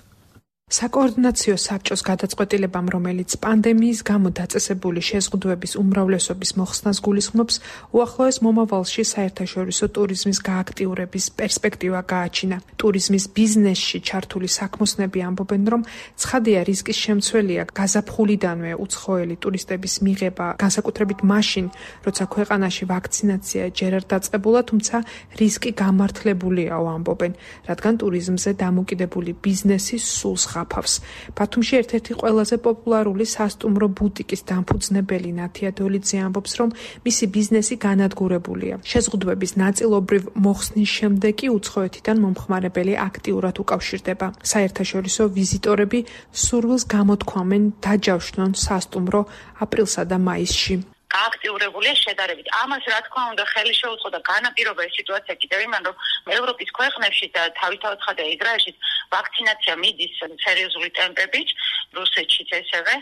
საკოორდინაციო საბჭოს გადაწყვეტილებამ, რომელიც პანდემიის გამო დაწესებული შეზღუდვების უმრავლესობის მოხსნას გულისხმობს, უახლოეს მომავალში საერთაშორისო ტურიზმის გააქტიურების პერსპექტივა გააჩინა. ტურიზმის ბიზნესში ჩართული საქმოსნები ამბობენ, რომ ცხადია რისკის შემცველია გაზაფხულიდანვე უცხოელი ტურისტების მიღება, განსაკუთრებით მაშინ, როცა ქვეყანაში ვაქცინაცია ჯერ არ დაწყებულა, თუმცა რისკი გამართლებულიაო ამბობენ, რადგან ტურიზმზე დამოკიდებული ბიზნესი სულს ხაფავს. ბათუმში ერთ-ერთი ყველაზე პოპულარული სასტუმრო ბუტიკის დამფუძნებელი ნათია დოლიძე ამბობს, რომ მისი ბიზნესი განადგურებულია. შეზღუდვების ნაწილობრივ მოხსნის შემდეგ კი უცხოეთიდან მომხმარებელი აქტიურად უკავშირდება. საერთაშორისო ვიზიტორები სურვილს გამოთქვამენ დაჯავშნონ სასტუმრო აპრილსა და მაისში. გააქტიურებულია შედარებით. ამას რა თქმა უნდა ხელი შეუწყო და განაპირობა ეს სიტუაცია კიდევ იმან, რომ ევროპის ქვეყნებში და თავისთავად ხდება ისრაელშიც ვაქცინაცია მიდის სერიოზული ტემპებით, რუსეთშიც ესევე,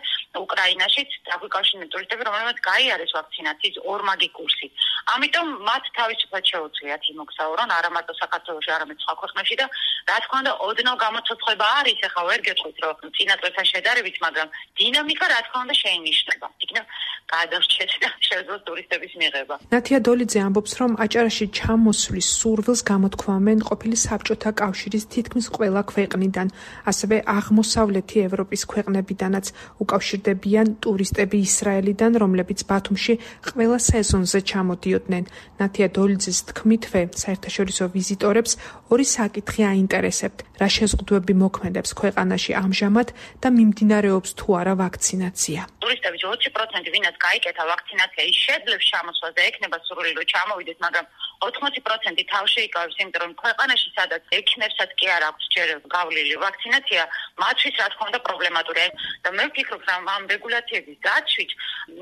უკრაინაშიც დაგვიკავშირდნენ ტურისტები, რომელმაც გაიარეს ვაქცინაციის ორმაგი კურსი. ამიტომ მათ თავისუფლად შეუძლიათ იმოგზაურონ არა მარტო საქართველოში, არამედ სხვა ქვეყნებში და რა თქმა უნდა ოდნავ გამოცოცხლება არის, ახლა ვერ გეტყვით, რომ წინა წელთან შედარებით, მაგრამ დინამიკა რა თქმა უნდა შეინიშნება. იქნებ გადარჩეთ შეძლოს ტურისტების მიღება. ნათია დოლიძე ამბობს, რომ აჭარაში ჩამოსვლის სურვილს გამოთქვამენ ყოფილი საბჭოთა კავშირის თითქმის ყველა ქვეყნიდან, ასევე აღმოსავლეთი ევროპის ქვეყნებიდანაც უკავშირდებიან ტურისტები ისრაელიდან, რომლებიც ბათუმში ყველა სეზონზე ჩამოდიოდნენ. ნათია დოლიძის თქმითვე, საერთაშორისო ვიზიტორებს ორი საკითხი აინტერესებთ: რა შეზღუდვები მოქმედებს ქვეყანაში ამჟამად და მიმდინარეობს თუ არა ვაქცინაცია. ტურისტების ოცი პროცენტი ვინაც გაიკეთა ვაქცინაცია, ის შეძლებს ჩამოსვლას და ექნება სურვილი რომ ჩამოვიდეს, მაგრამ ოთხმოცი პროცენტი თავში იკავებს, იმიტომ რომ ქვეყანაში სადაც ექნებსაც კი არ აქვს ჯერ გავლილი ვაქცინაცია, მათთვის რა თქმა უნდა პრობლემატურია. და მე ვფიქრობ, რომ ამ რეგულაციების დაცვით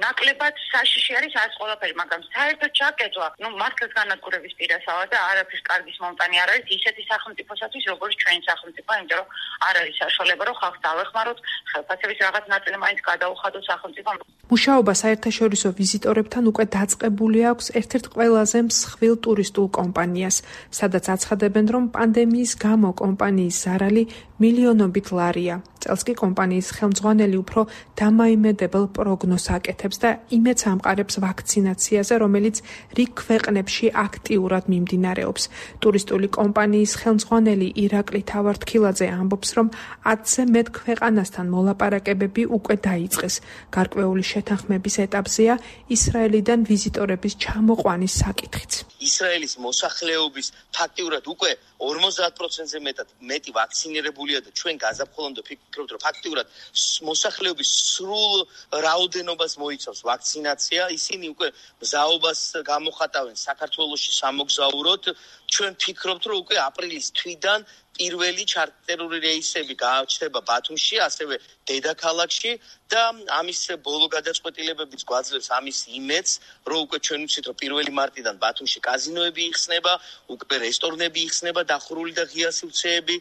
ნაკლებად საშიში არის ეს ყველაფერი, მაგრამ საერთოდ ჩაკეტვა, ну მართლაც განადგურების პირასაა და არაფრის კარგის მომტანი არ არის ისეთი სახელმწიფოსათვის, როგორც ჩვენი სახელმწიფო, იმიტომ რომ არ არის საშუალება, რომ ხალხს დავეხმაროთ, ხელფასების რაღაც ნაწილი მაინც გადაუხადოთ სახელმწიფომ. მუშაობა საერთაშორისო ვიზიტორებთან უკვე დაწყებული აქვს ერთ-ერთ ყველაზე მსხვილ ტურისტულ კომპანიას, სადაც აცხადებენ, რომ პანდემიის გამო კომპანიის ზარალი მილიონობით ლარია. წელს კი კომპანიის ხელმძღვანელი უფრო დამაიმედებელ პროგნოზს აკეთებს და იმედს ამყარებს ვაქცინაციაზე, რომელიც რიგ ქვეყნებში აქტიურად მიმდინარეობს. ტურისტული კომპანიის ხელმძღვანელი ირაკლი თავართქილაძე ამბობს, რომ ათზე მეტ ქვეყანასთან მოლაპარაკებები უკვე დაიწყეს. გარკვეული შეთანხმების ეტაპზეა ისრაელიდან ვიზიტორების ჩამოყვანის საკითხიც. ის ისრაელის მოსახლეობის ფაქტიურად უკვე ორმოცდაათ პროცენტზე მეტად მეტი ვაქცინირებულია და ჩვენ გაზაფხულამდე ვფიქრობთ, რომ ფაქტიურად მოსახლეობის სრულ რაოდენობას მოიცავს ვაქცინაცია. ისინი უკვე მზაობას გამოხატავენ საქართველოში სამოგზაუროდ. ჩვენ ვფიქრობთ, რომ უკვე აპრილის თვიდან პირველი ჩარტერული რეისები გააჩნდება ბათუმში, ასევე დედაქალაქში და ამის ბოლო გადაწყვეტილებებიც გვაძლევს ამის იმედს, რომ უკვე ჩვენ ვიცით, რომ პირველი მარტიდან ბათუმში კაზინოები იხსნება, უკვე რესტორნები იხსნება, დახურული და ღია სივრცეები,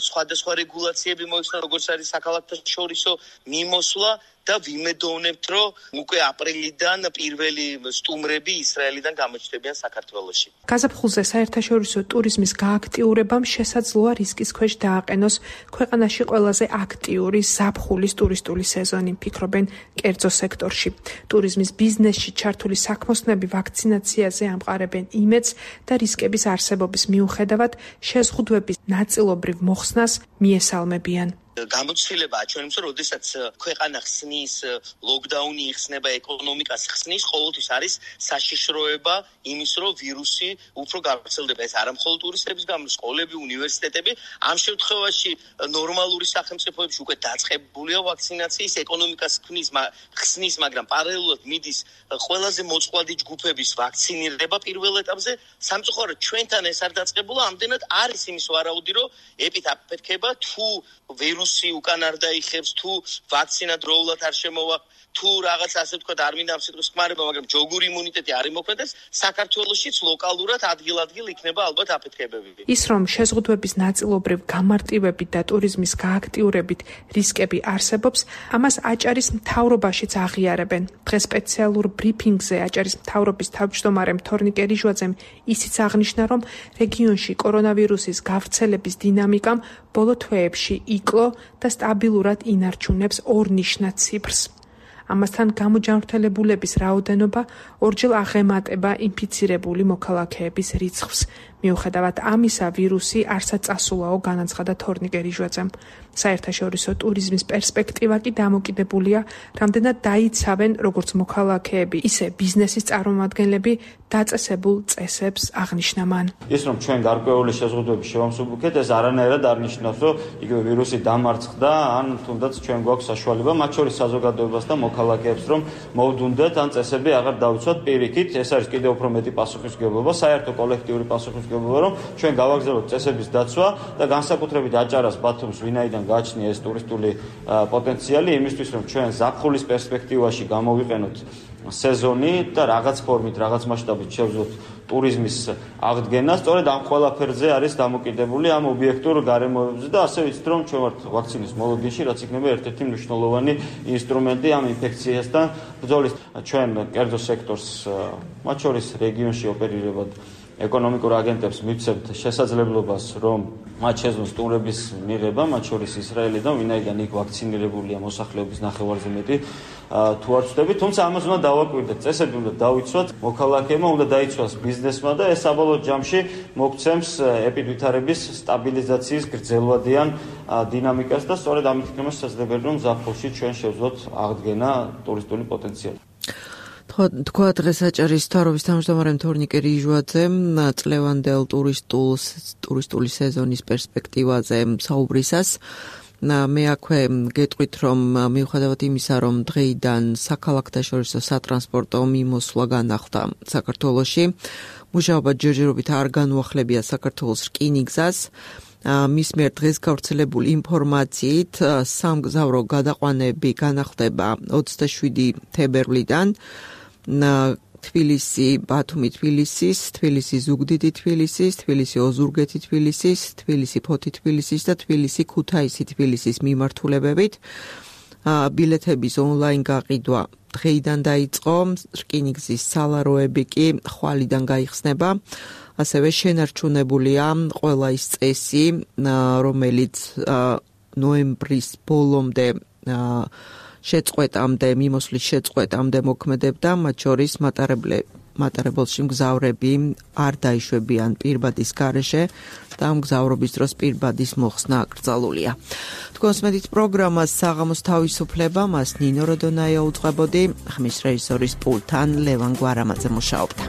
სხვადასხვა რეგულაციები მოიხსნება, როგორც არის საქალაქთაშორისო მიმოსვლა და ვიმედოვნებთ, რომ უკვე აპრილიდან პირველი სტუმრები ისრაელიდან გამოჩნდებიან საქართველოში. გაზაფხულზე საერთაშორისო ტურიზმის გააქტიურებამ შესაძლოა რისკის ქვეშ დააყენოს ქვეყანაში ყველაზე აქტიური ზაფხულის ტურისტული სეზონი, ფიქრობენ კერძო სექტორში. ტურიზმის ბიზნესში ჩართული საქმოსნები ვაქცინაციაზე ამყარებენ იმედს და რისკების არსებობის მიუხედავად შეზღუდვების ნაწილობრივ მოხსნას მიესალმებიან. გამოცდილებაა ჩვენს, როდესაც ქვეყანა ხსნის, ლოკდაუნი იხსნება, ეკონომიკას ხსნის, ყოველთვის არის საშიშროება იმის, რომ ვირუსი უფრო გავრცელდება. ეს არა მხოლოდ ტურისტების გამო, სკოლები, უნივერსიტეტები. ამ შემთხვევაში ნორმალური სახელმწიფოებში უკვე დაწყებულია ვაქცინაციის, ეკონომიკას ხსნის, ხსნის, მაგრამ პარალელურად მიდის ყველაზე მოწყვლადი ჯგუფების ვაქცინირება პირველ ეტაპზე. სამწუხაროდ ჩვენთან ეს არ დაწყებულა, ამდენად არის იმის ვარაუდი, რომ ეპიდემია თუ ვირუსი უკან არ დაიხებს, თუ ვაქცინა დროულად არ შემოვა, თუ რაღაც ასე ვთქვათ, არ მინდა ამ სიტყვის ხმარება, მაგრამ ჯოგური იმუნიტეტი არ იმოქმედებს, საქართველოშიც ლოკალურად ადგილ-ადგილ იქნება ალბათ აფეთქებები. ის რომ შეზღუდვების ნაწილობრივ გამარტივებით და ტურიზმის გააქტიურებით რისკები არსებობს, ამას აჭარის მთავრობაშიც აღიარებენ. დღეს სპეციალურ ბრიფინგზე აჭარის მთავრობის თავმჯდომარემ თორნიკე რიჟვაძემ ისიც აღნიშნა, რომ რეგიონში კორონავირუსის გავრცელების დინამიკამ ბოლო თვეებში იკლო და სტაბილურად ინარჩუნებს ორნიშნად ციფრს. ამასთან გამოჯანმრთელებულების რაოდენობა ორჯერ აღემატება ინფიცირებული მოქალაქეების რიცხვს. მიუხედავად ამისა, ვირუსი არსად წასულაო, განაცხადა თორნიკე რიჟვაძემ. საერთაშორისო ტურიზმის პერსპექტივა კი დამოკიდებულია, რამდენად დაიცავენ როგორც მოქალაქეები, ისე ბიზნესის წარმომადგენლები დაწესებულ წესებს, აღნიშნა მან. ის რომ ჩვენ გარკვეული შეზღუდვების შევამსუბუქეთ, ეს არანაირად არ ნიშნავს, რომ იგივე ვირუსი დამარცხდა, ან თუნდაც ჩვენ გვაქვს საშუალება, მათ შორის საზოგადოებას და მოქალაქეებს, რომ მოვდუნდეთ, ან წესები აღარ დავიცვათ პირიქით. ეს არის კიდევ უფრო მეტი პასუხისმგებლობა, საერთო კოლექტიური პასუხისმგებლობა, რომ ჩვენ გავაგზავნოთ წესების დაცვა და განსაკუთრებით აჭარას, ბათუმს, ვინაიდან გააჩნია ეს ტურისტული პოტენციალი, იმისთვის რომ ჩვენ ზაფხულის პერსპექტივაში გამოვიყენოთ სეზონი და რაღაც ფორმით, რაღაც მასშტაბით შევძლოთ ტურიზმის აღდგენა, სწორედ ამ ყველაფერზე არის დამოკიდებული ამ ობიექტურ გარემოებზე და ასე ვიცით, რომ ჩვენ ვართ ვაქცინის მოლოდინში, რაც იქნება ერთ-ერთი მნიშვნელოვანი ინსტრუმენტი ამ ინფექციასთან ბრძოლის. ჩვენ კერძო სექტორს, მათ შორის რეგიონში ოპერირებად ეკონომიკურ აგენტებს მივცემთ შესაძლებლობას, რომ მათ შეძლოს ტურების მიღება, მათ შორის ისრაელიდან, ვინაიდან იქ ვაქცინირებულია მოსახლეობის ნახევარზე მეტი, თუ არ ვწდები, თუმცა ამას უნდა დავაკვირდეთ, წესები უნდა დავიცვათ, მოქალაქეებმა უნდა დაიცვას ბიზნესმა და ეს საბოლოო ჯამში მოგცემს ეპიდვითარების სტაბილიზაციის გრძელვადიან დინამიკას და სწორედ ამით იქნება შესაძლებელი, რომ ზაფხულში ჩვენ შევძლოთ აღდგენა ტურისტული პოტენციალი. თქვა დღეს აჭარის მთავრობის თავმჯდომარე თორნიკე რიჟვაძემ წლევანდელ ტურისტულ ტურისტული სეზონის პერსპექტივაზე საუბრისას. მე აქვე გეტყვით, რომ მიუხედავად იმისა, რომ დღეიდან საქალაქთაშორისო სატრანსპორტო მიმოსვლა განახლდა საქართველოში, მუშაობა ჯერჯერობით არ განუახლებია საქართველოს რკინიგზას. მის მიერ დღეს გავრცელებული ინფორმაციით სამგზავრო გადაყვანები განახლდება ოცდაშვიდი თებერვლიდან. თბილისი, ბათუმი თბილისის, თბილისი ზუგდიდი თბილისის, თბილისი ოზურგეთი თბილისის, თბილისი ფოთი თბილისის და თბილისი ქუთაისი თბილისის მიმართულებებით. ბილეთების ონლაინ გაყიდვა დღეიდან დაიწყო, რკინიგზის სალაროები კი ხვალიდან გაიხსნება. ასევე შენარჩუნებულია ყველა ის წესი, რომელიც ნოემბრის ბოლომდე შეწყვეტამდე, მიმოსვლის შეწყვეტამდე მოქმედებდა, მათ შორის მატარებელში მგზავრები არ დაიშვებიან პირბადის გარეშე და ამ მგზავრობის დროს პირბადის მოხსნა აკრძალულია. თქვენს მედით პროგრამას საღამოს თავისუფლება, მას ნინო როდონაია უწყებოდი, ხმის რეჟისორის პულტთან ლევან გვარამაძე მუშაობდა.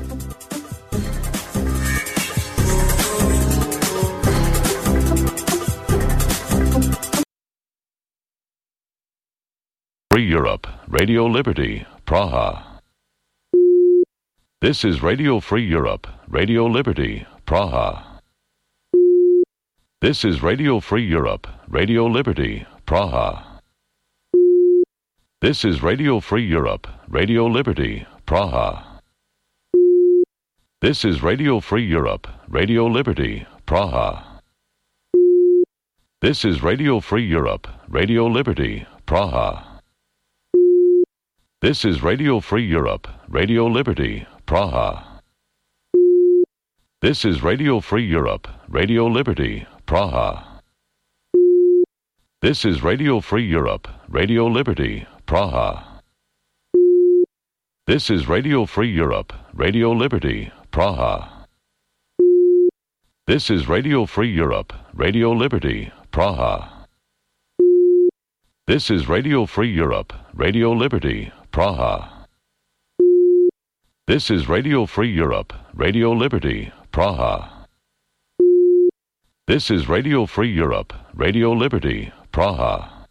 Free Europe, Radio Liberty, Praha. This is Radio Free Europe, Radio Liberty, Praha. This is Radio Free Europe, Radio Liberty, Praha. This is Radio Free Europe, Radio Liberty, Praha. This is Radio Free Europe, Radio Liberty, Praha. This is Radio Free Europe, Radio Liberty, Praha. This is Radio Free Europe, Radio Liberty, Praha. This is Radio Free Europe, Radio Liberty, Praha. This is Radio Free Europe, Radio Liberty, Praha. This is Radio Free Europe, Radio Liberty, Praha. This is Radio Free Europe, Radio Liberty, Praha. This is Radio Free Europe, Radio Liberty, Praha. This is Radio Free Europe, Radio Liberty, Praha. This is Radio Free Europe, Radio Liberty, Praha.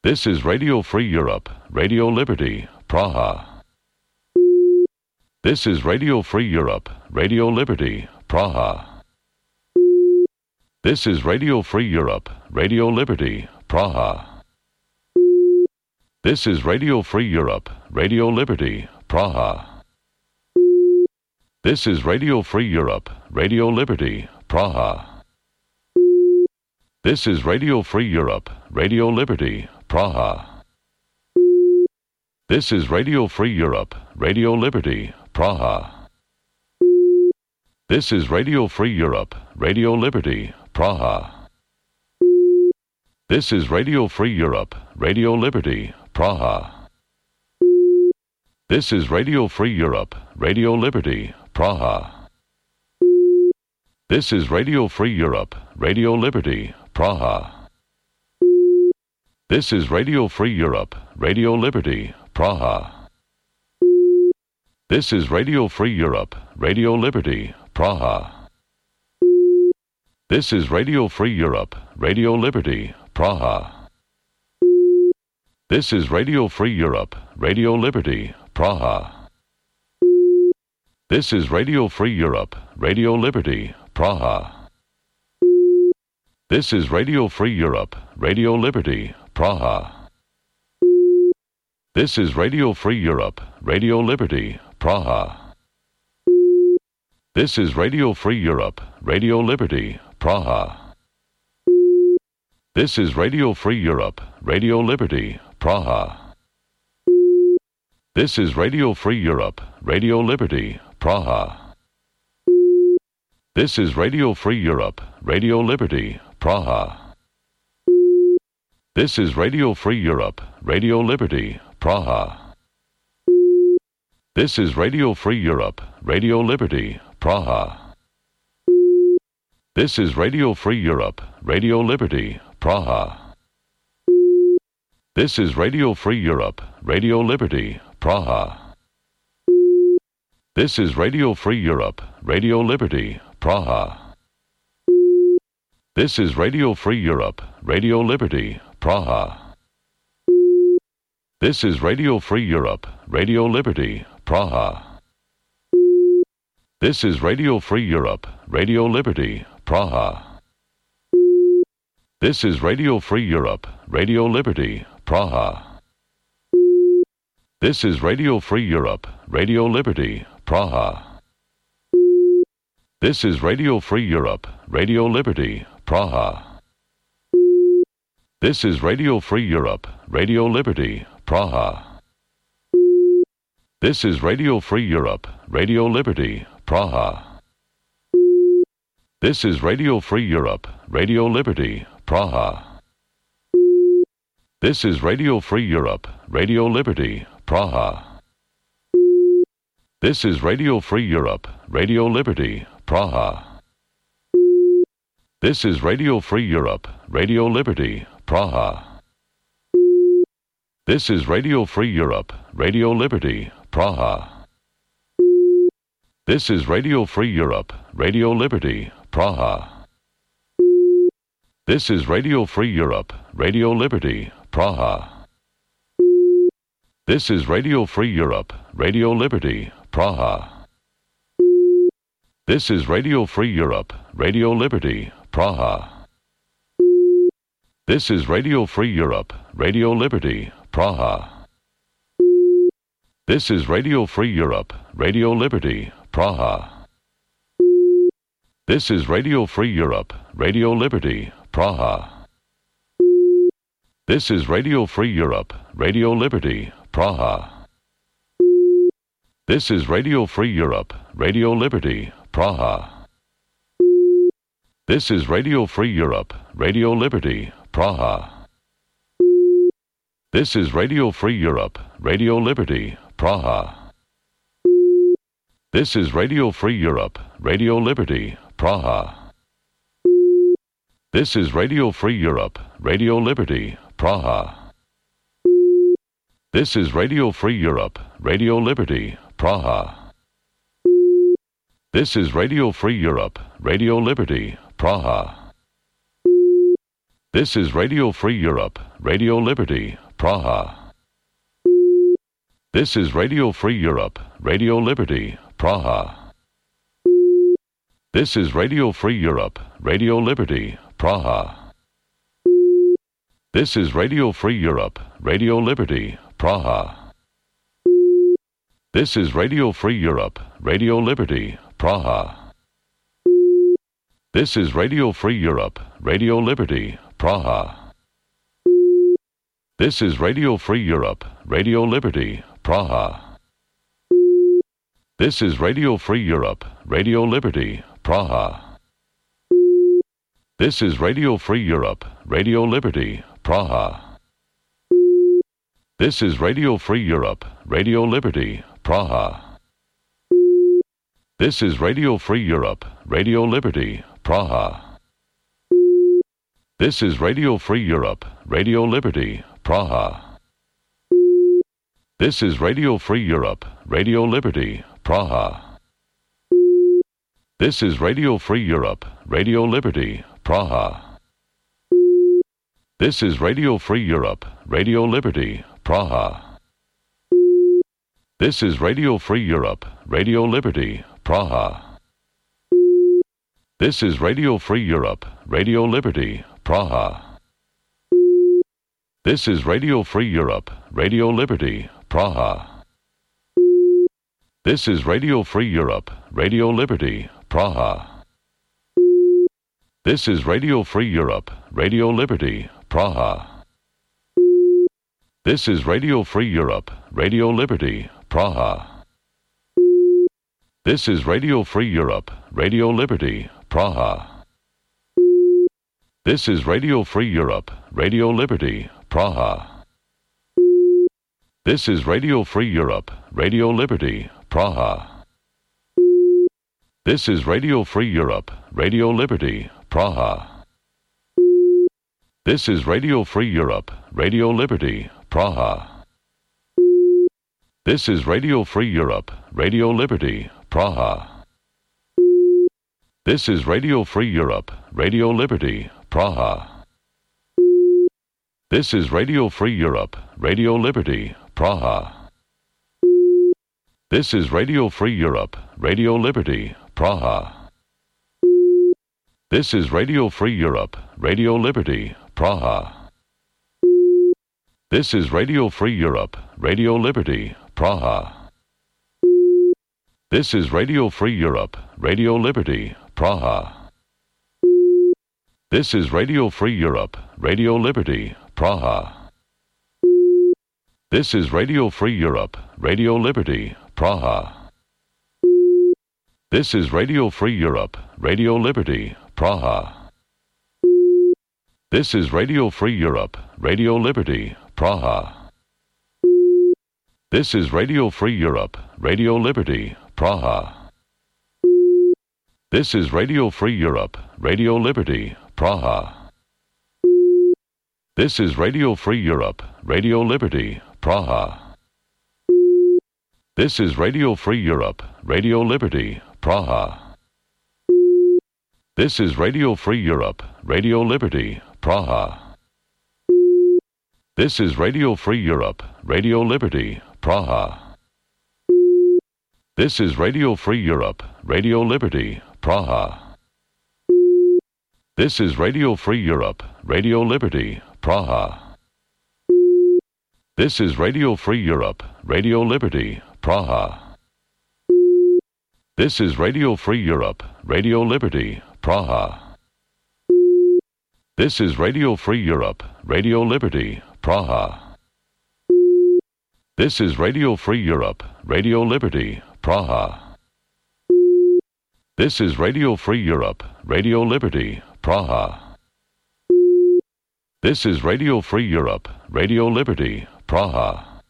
This is Radio Free Europe, Radio Liberty, Praha. This is Radio Free Europe, Radio Liberty, Praha. This is Radio Free Europe, Radio Liberty, Praha. This is Radio Free Europe, Radio Liberty, Praha. This is Radio Free Europe, Radio Liberty, Praha. This is Radio Free Europe, Radio Liberty, Praha. This is Radio Free Europe, Radio Liberty, Praha. This is Radio Free Europe, Radio Liberty, Praha. This is Radio Free Europe, Radio Liberty, Praha. This is Radio Free Europe, Radio Liberty, Praha. This is Radio Free Europe, Radio Liberty, Praha. This is Radio Free Europe, Radio Liberty, Praha. This is Radio Free Europe, Radio Liberty, Praha. This is Radio Free Europe, Radio Liberty, Praha. This is Radio Free Europe, Radio Liberty, Praha. This is Radio Free Europe, Radio Liberty, Praha. This is Radio Free Europe, Radio Liberty, Praha. This is Radio Free Europe, Radio Liberty, Praha. This is Radio Free Europe, Radio Liberty, Praha. This is Radio Free Europe, Radio Liberty, Praha. This is Radio Free Europe, Radio Liberty, Praha. This is Radio Free Europe, Radio Liberty, Praha. This is Radio Free Europe, Radio Liberty, Praha. This is Radio Free Europe, Radio Liberty, Praha. This is Radio Free Europe, Radio Liberty, Praha. This is Radio Free Europe, Radio Liberty, Praha. This is Radio Free Europe, Radio Liberty, Praha. This is Radio Free Europe, Radio Liberty, Praha. This is Radio Free Europe, Radio Liberty, Praha. This is Radio Free Europe, Radio Liberty, Praha. This is Radio Free Europe, Radio Liberty, Praha. This is Radio Free Europe, Radio Liberty, Praha. This is Radio Free Europe, Radio Liberty, Praha. This is Radio Free Europe, Radio Liberty, Praha. This is Radio Free Europe, Radio Liberty, Praha. This is Radio Free Europe, Radio Liberty, Praha. This is Radio Free Europe, Radio Liberty, Praha. This is Radio Free Europe, Radio Liberty, Praha. This is Radio Free Europe, Radio Liberty, Praha. This is Radio Free Europe, Radio Liberty, Praha. This is Radio Free Europe, Radio Liberty, Praha. This is Radio Free Europe, Radio Liberty, Praha. This is Radio Free Europe, Radio Liberty, Praha. This is Radio Free Europe, Radio Liberty, Praha. This is Radio Free Europe, Radio Liberty, Praha. This is Radio Free Europe, Radio Liberty, Praha. This is Radio Free Europe, Radio Liberty, Praha. This is Radio Free Europe, Radio Liberty, Praha. This is Radio Free Europe, Radio Liberty, Praha. This is Radio Free Europe, Radio Liberty, Praha. This is Radio Free Europe, Radio Liberty, Praha. This is Radio Free Europe, Radio Liberty, Praha. This is Radio Free Europe, Radio Liberty, Praha. This is Radio Free Europe, Radio Liberty, Praha. This is Radio Free Europe, Radio Liberty, Praha. This is Radio Free Europe, Radio Liberty, Praha. This is Radio Free Europe, Radio Liberty, Praha. This is Radio Free Europe, Radio Liberty, Praha. This is Radio Free Europe, Radio Liberty, Praha. This is Radio Free Europe, Radio Liberty, Praha. This is Radio Free Europe, Radio Liberty, Praha. This is Radio Free Europe, Radio Liberty, Praha. This is Radio Free Europe, Radio Liberty, Praha. This is Radio Free Europe, Radio Liberty, Praha. This is Radio Free Europe, Radio Liberty, Praha. This is Radio Free Europe, Radio Liberty, Praha. This is Radio Free Europe, Radio Liberty, Praha. This is Radio Free Europe, Radio Liberty, Praha. This is Radio Free Europe, Radio Liberty, Praha. This is Radio Free Europe, Radio Liberty, Praha. This is Radio Free Europe, Radio Liberty, Praha. This is Radio Free Europe, Radio Liberty, Praha. This is Radio Free Europe, Radio Liberty, Praha. This is Radio Free Europe, Radio Liberty, Praha. This is Radio Free Europe, Radio Liberty, Praha. This is Radio Free Europe, Radio Liberty, Praha. This is Radio Free Europe, Radio Liberty, Praha. This is Radio Free Europe, Radio Liberty, Praha. This is Radio Free Europe, Radio Liberty, Praha. This is Radio Free Europe, Radio Liberty, Praha. This is Radio Free Europe, Radio Liberty, Praha. This is Radio Free Europe, Radio Liberty, Praha. This is Radio Free Europe, Radio Liberty, Praha. This is Radio Free Europe, Radio Liberty, Praha. This is Radio Free Europe, Radio Liberty, Praha. This is Radio Free Europe, Radio Liberty, Praha. This is Radio Free Europe, Radio Liberty, Praha. This is Radio Free Europe, Radio Liberty, Praha. This is Radio Free Europe, Radio Liberty, Praha. This is Radio Free Europe, Radio Liberty, Praha. This is Radio Free Europe, Radio Liberty, Praha. This is Radio Free Europe, Radio Liberty, Praha. This is Radio Free Europe, Radio Liberty, Praha. This is Radio Free Europe, Radio Liberty, Praha. This is Radio Free Europe, Radio Liberty, Praha. This is Radio Free Europe, Radio Liberty, Praha. This is Radio Free Europe, Radio Liberty, Praha. This is Radio Free Europe, Radio Liberty, Praha. This is Radio Free Europe, Radio Liberty, Praha. This is Radio Free Europe, Radio Liberty, Praha. This is Radio Free Europe, Radio Liberty, Praha. This is Radio Free Europe, Radio Liberty, Praha. This is Radio Free Europe, Radio Liberty, Praha. This is Radio Free Europe, Radio Liberty, Praha. This is Radio Free Europe, Radio Liberty, Praha. This is Radio Free Europe, Radio Liberty, Praha.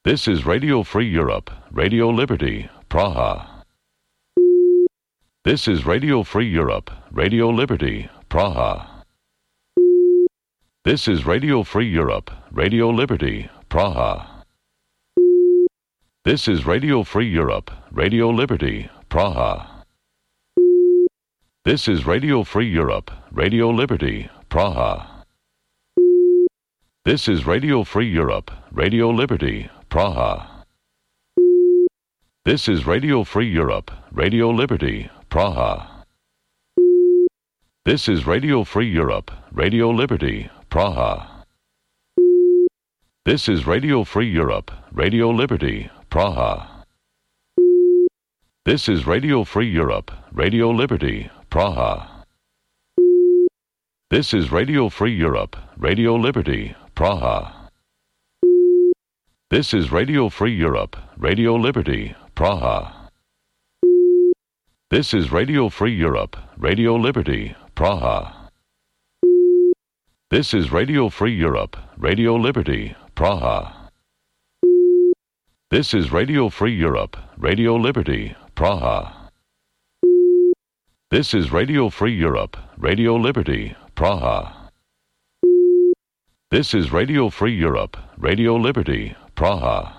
This is Radio Free Europe, Radio Liberty, Praha. This is Radio Free Europe, Radio Liberty, Praha. This is Radio Free Europe, Radio Liberty, Praha. This is Radio Free Europe, Radio Liberty, Praha. This is Radio Free Europe, Radio Liberty, Praha. This is Radio Free Europe, Radio Liberty, Praha. This is Radio Free Europe, Radio Liberty, Praha. This is Radio Free Europe, Radio Liberty, Praha. This is Radio Free Europe, Radio Liberty, Praha. This is Radio Free Europe, Radio Liberty, Praha. This is Radio Free Europe, Radio Liberty, Praha. This is Radio Free Europe, Radio Liberty, Praha. This is Radio Free Europe, Radio Liberty, Praha. This is Radio Free Europe, Radio Liberty, Praha. This is Radio Free Europe, Radio Liberty, Praha. This is Radio Free Europe, Radio Liberty, Praha. This is Radio Free Europe, Radio Liberty, Praha. This is Radio Free Europe, Radio Liberty, Praha.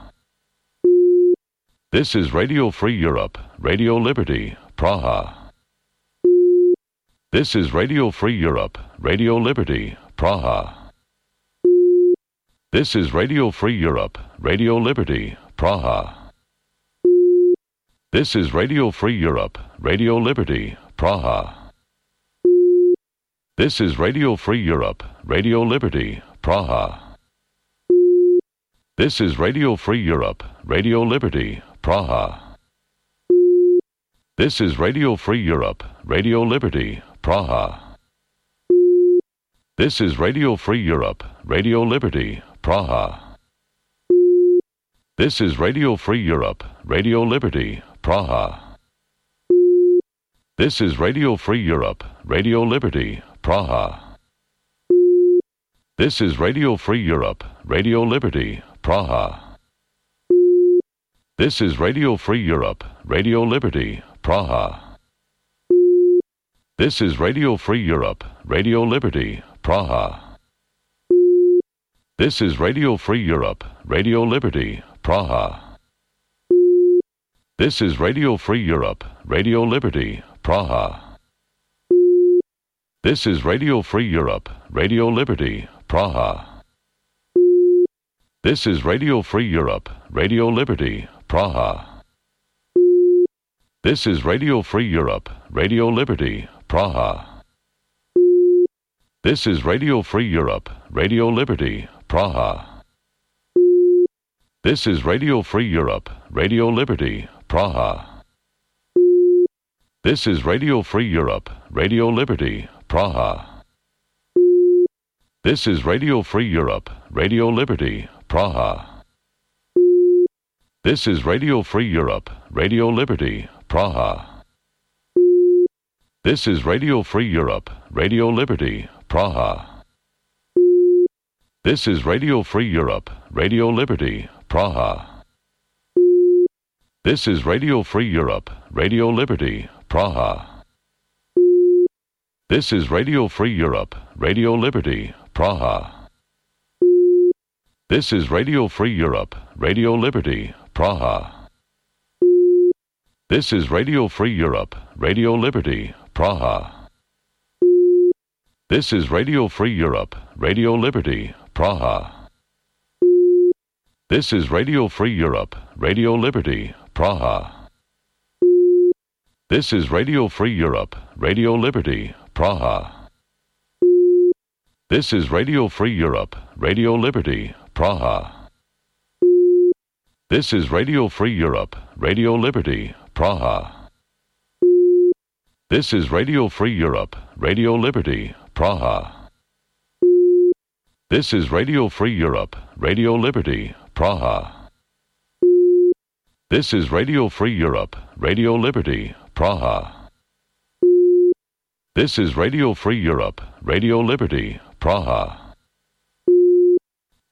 This is Radio Free Europe, Radio Liberty, Praha. This is Radio Free Europe, Radio Liberty, Praha. This is Radio Free Europe, Radio Liberty, Praha. This is Radio Free Europe, Radio Liberty, Praha. This is Radio Free Europe, Radio Liberty, Praha. This is Radio Free Europe, Radio Liberty, Praha. This is Radio Free Europe, Radio Liberty, Praha. This is Radio Free Europe, Radio Liberty, Praha. This is Radio Free Europe, Radio Liberty, Praha. This is Radio Free Europe, Radio Liberty, Praha. This is Radio Free Europe, Radio Liberty, Praha. This is Radio Free Europe, Radio Liberty, Praha. This is Radio Free Europe, Radio Liberty, Praha. This is Radio Free Europe, Radio Liberty, Praha. This is Radio Free Europe, Radio Liberty, Praha. This is Radio Free Europe, Radio Liberty, Praha. This is Radio Free Europe, Radio Liberty, Praha. This is Radio Free Europe, Radio Liberty, Praha. This is Radio Free Europe, Radio Liberty, Praha. This is Radio Free Europe, Radio Liberty, Praha. This is Radio Free Europe, Radio Liberty, Praha. This is Radio Free Europe, Radio Liberty, Praha. This is Radio Free Europe, Radio Liberty, Praha. This is Radio Free Europe, Radio Liberty, Praha. This is Radio Free Europe, Radio Liberty, Praha. This is Radio Free Europe, Radio Liberty, Praha. This is Radio Free Europe, Radio Liberty, Praha. This is Radio Free Europe, Radio Liberty, Praha. This is Radio Free Europe, Radio Liberty, Praha. This is Radio Free Europe, Radio Liberty, Praha. This is Radio Free Europe, Radio Liberty, Praha. This is Radio Free Europe, Radio Liberty, Praha. This is Radio Free Europe, Radio Liberty, Praha. This is Radio Free Europe, Radio Liberty, Praha. This is Radio Free Europe, Radio Liberty, Praha. This is Radio Free Europe, Radio Liberty, Praha. This is Radio Free Europe, Radio Liberty, Praha.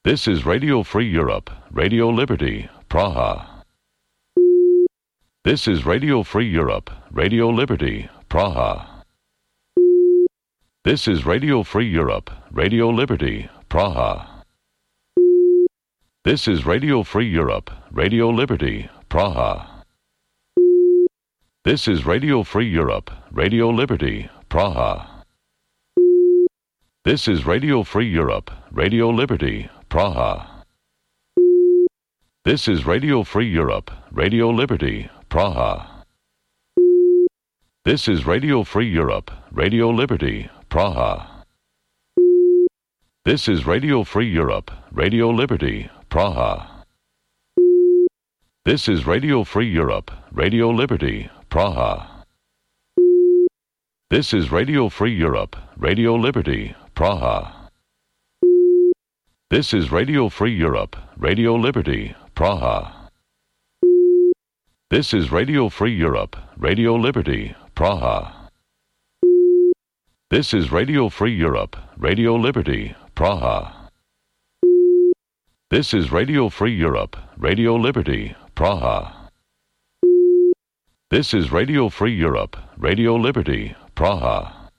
This is Radio Free Europe, Radio Liberty, Praha. This is Radio Free Europe, Radio Liberty, Praha. This is Radio Free Europe, Radio Liberty, Praha. This is Radio Free Europe, Radio Liberty, Praha. This is Radio Free Europe, Radio Liberty, Praha. This is Radio Free Europe, Radio Liberty, Praha. This is Radio Free Europe, Radio Liberty, Praha. This is Radio Free Europe, Radio Liberty, Praha. This is Radio Free Europe, Radio Liberty, Praha. This is Radio Free Europe, Radio Liberty, Praha. This is Radio Free Europe, Radio Liberty, Praha. This is Radio Free Europe, Radio Liberty, Praha. This is Radio Free Europe, Radio Liberty, Praha. This is Radio Free Europe, Radio Liberty, Praha. This is Radio Free Europe, Radio Liberty, Praha. This is Radio Free Europe, Radio Liberty, Praha.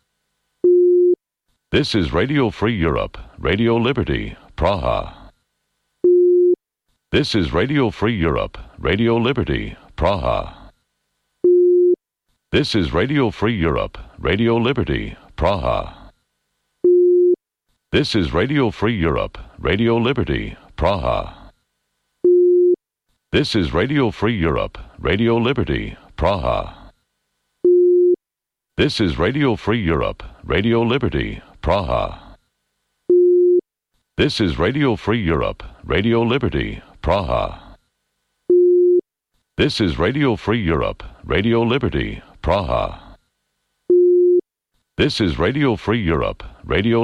This is Radio Free Europe, Radio Liberty, Praha. This is Radio Free Europe, Radio Liberty, Praha. This is Radio Free Europe, Radio Liberty, Praha. This is Radio Free Europe, Radio Liberty, Praha. This is Radio Free Europe, Radio Liberty, Praha. This is Radio Free Europe, Radio Liberty, Praha. This is Radio Free Europe, Radio Liberty, Praha. This is Radio Free Europe, Radio Liberty, Praha. This is Radio Free Europe, Radio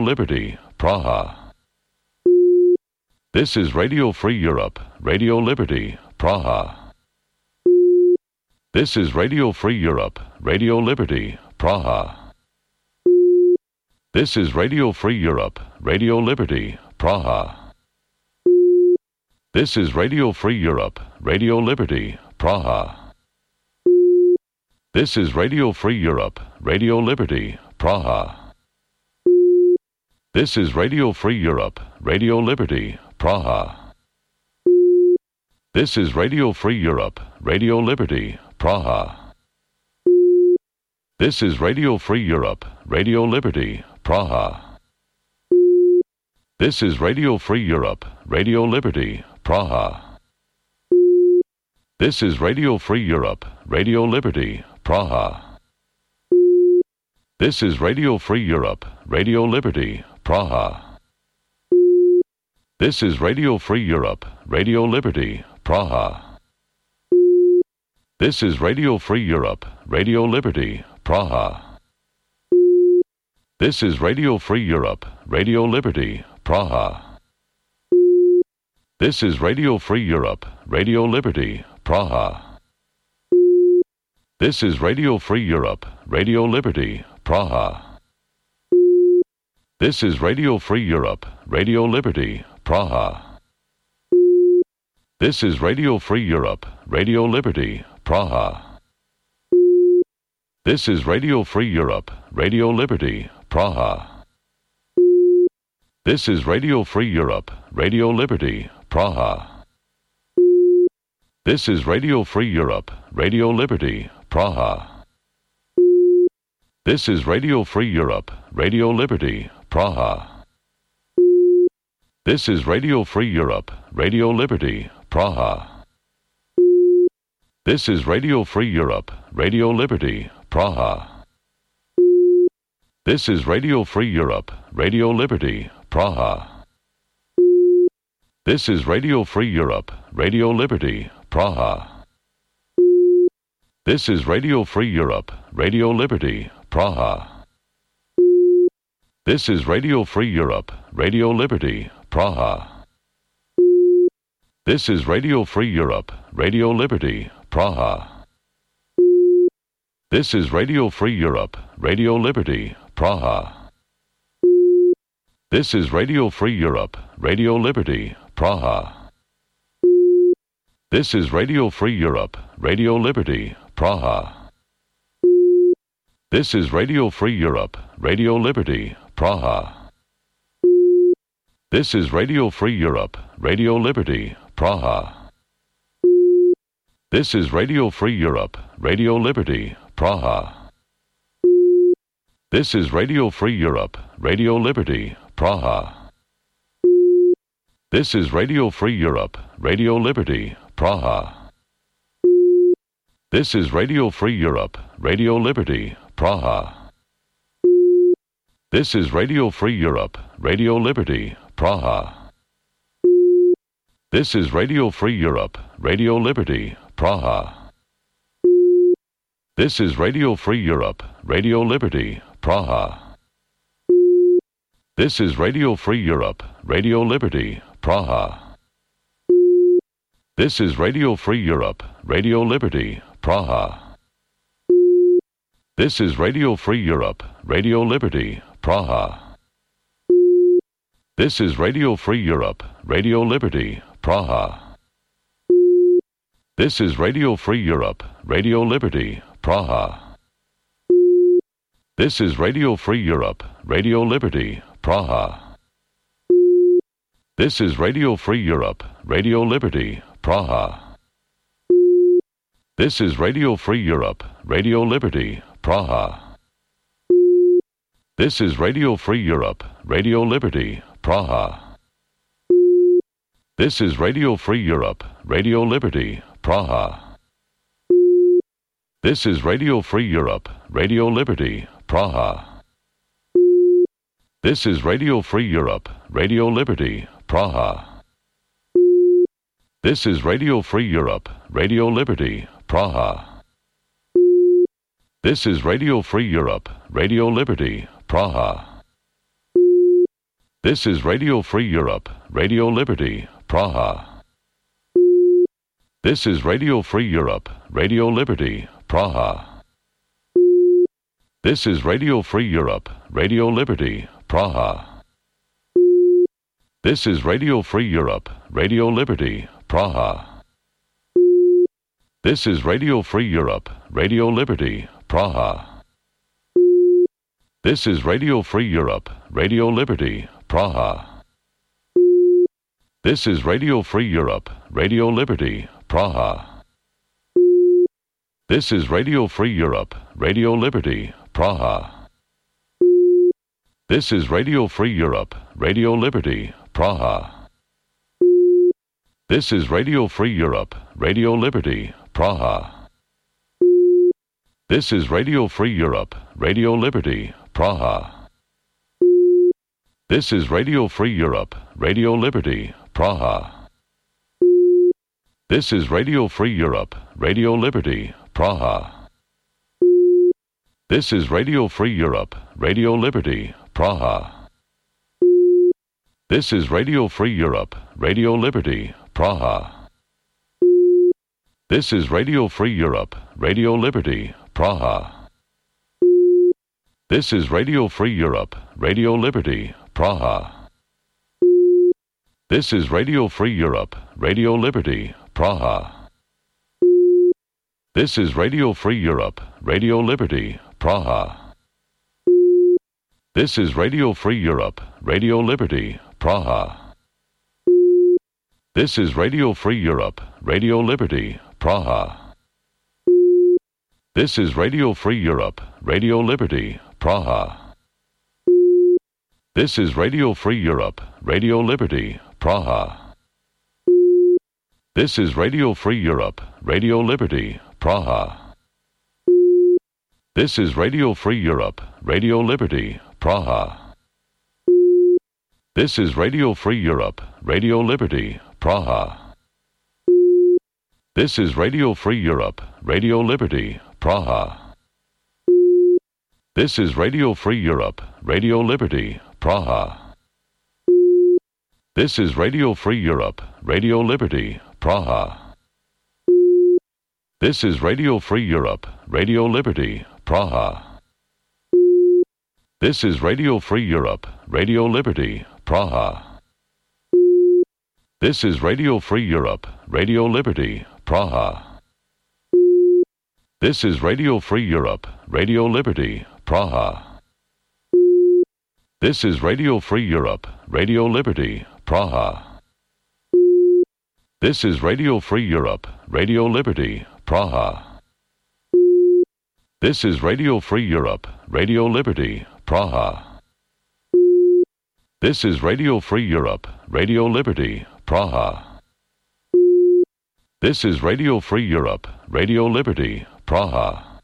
Liberty, Praha. This is Radio Free Europe, Radio Liberty, Praha. This is Radio Free Europe, Radio Liberty, Praha. This is Radio Free Europe, Radio Liberty, Praha. This is Radio Free Europe, Radio Liberty, Praha. This is Radio Free Europe, Radio Liberty, Praha. This is Radio Free Europe, Radio Liberty, Praha. This is Radio Free Europe, Radio Liberty, Praha. This is Radio Free Europe, Radio Liberty, Praha. This is Radio Free Europe, Radio Liberty, Praha. This is Radio Free Europe, Radio Liberty, Praha. This is Radio Free Europe, Radio Liberty, Praha. This is Radio Free Europe, Radio Liberty, Praha. This is Radio Free Europe, Radio Liberty, Praha. This is Radio Free Europe, Radio Liberty, Praha. This is Radio Free Europe, Radio Liberty, Praha. This is Radio Free Europe, Radio Liberty, Praha. This is Radio Free Europe, Radio Liberty, Praha. This is Radio Free Europe, Radio Liberty, Praha. This is Radio Free Europe, Radio Liberty, Praha. This is Radio Free Europe, Radio Liberty, Praha. This is Radio Free Europe, Radio Liberty, Praha. This is Radio Free Europe, Radio Liberty, Praha. This is Radio Free Europe, Radio Liberty, Praha. This is Radio Free Europe, Radio Liberty, Praha. This is Radio Free Europe, Radio Liberty, Praha. This is Radio Free Europe, Radio Liberty, Praha. This is Radio Free Europe, Radio Liberty, Praha. This is Radio Free Europe, Radio Liberty, Praha. This is Radio Free Europe, Radio Liberty, Praha. This is Radio Free Europe, Radio Liberty, Praha. This is Radio Free Europe, Radio Liberty, Praha. This is Radio Free Europe, Radio Liberty, Praha. This is Radio Free Europe, Radio Liberty, Praha. This is Radio Free Europe, Radio Liberty, Praha. This is Radio Free Europe, Radio Liberty, Praha. This is Radio Free Europe, Radio Liberty, Praha. This is Radio Free Europe, Radio Liberty, Praha. This is Radio Free Europe, Radio Liberty, Praha. This is Radio Free Europe, Radio Liberty, Praha. This is Radio Free Europe, Radio Liberty, Praha. This is Radio Free Europe, Radio Liberty, Praha. This is Radio Free Europe, Radio Liberty, Praha. This is Radio Free Europe, Radio Liberty, Praha. This is Radio Free Europe, Radio Liberty, Praha. This is Radio Free Europe, Radio Liberty, Praha. This is Radio Free Europe, Radio Liberty, Praha. This is Radio Free Europe, Radio Liberty, Praha. This is Radio Free Europe, Radio Liberty, Praha. This is Radio Free Europe, Radio Liberty, Praha. This is Radio Free Europe, Radio Liberty, Praha. This is Radio Free Europe, Radio Liberty, Praha. This is Radio Free Europe, Radio Liberty, Praha. This is Radio Free Europe, Radio Liberty, Praha. This is Radio Free Europe, Radio Liberty, Praha. This is Radio Free Europe, Radio Liberty, Praha. This is Radio Free Europe, Radio Liberty, Praha. This is Radio Free Europe, Radio Liberty, Praha. This is Radio Free Europe, Radio Liberty, Praha. This is Radio Free Europe, Radio Liberty, Praha. This is Radio Free Europe, Radio Liberty, Praha. This is Radio Free Europe, Radio Liberty, Praha. This is Radio Free Europe, Radio Liberty, Praha. This is Radio Free Europe, Radio Liberty, Praha. This is Radio Free Europe, Radio Liberty, Praha. This is Radio Free Europe, Radio Liberty, Praha. This is Radio Free Europe, Radio Liberty, Praha. This is Radio Free Europe, Radio Liberty, Praha. This is Radio Free Europe, Radio Liberty, Praha. This is Radio Free Europe, Radio Liberty, Praha. This is Radio Free Europe, Radio Liberty, Praha. This is Radio Free Europe, Radio Liberty, Praha. This is Radio Free Europe, Radio Liberty, Praha. This is Radio Free Europe, Radio Liberty, Praha. This is Radio Free Europe, Radio Liberty, Praha. This is Radio Free Europe, Radio Liberty, Praha. This is Radio Free Europe, Radio Liberty, Praha. This is Radio Free Europe, Radio Liberty, Praha. This is Radio Free Europe, Radio Liberty, Praha. This is Radio Free Europe, Radio Liberty, Praha. This is Radio Free Europe, Radio Liberty, Praha. This is Radio Free Europe, Radio Liberty, Praha. This is Radio Free Europe, Radio Liberty, Praha. This is Radio Free Europe, Radio Liberty, Praha. This is Radio Free Europe, Radio Liberty, Praha. This is Radio Free Europe, Radio Liberty, Praha. This is Radio Free Europe, Radio Liberty, Praha. This is Radio Free Europe, Radio Liberty, Praha. This is Radio Free Europe, Radio Liberty, Praha. This is Radio Free Europe, Radio Liberty, Praha. This is Radio Free Europe, Radio Liberty, Praha. This is Radio Free Europe, Radio Liberty, Praha. This is Radio Free Europe, Radio Liberty, Praha. This is Radio Free Europe, Radio Liberty, Praha.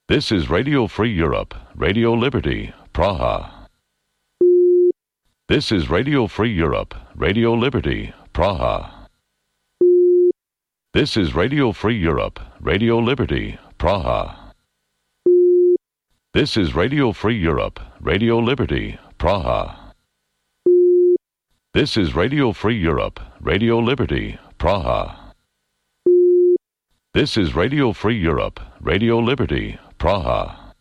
This is Radio Free Europe, Radio Liberty, Praha. This is Radio Free Europe, Radio Liberty, Praha. This is Radio Free Europe, Radio Liberty, Praha. This is Radio Free Europe, Radio Liberty, Praha. This is Radio Free Europe, Radio Liberty, Praha. This is Radio Free Europe, Radio Liberty, Praha.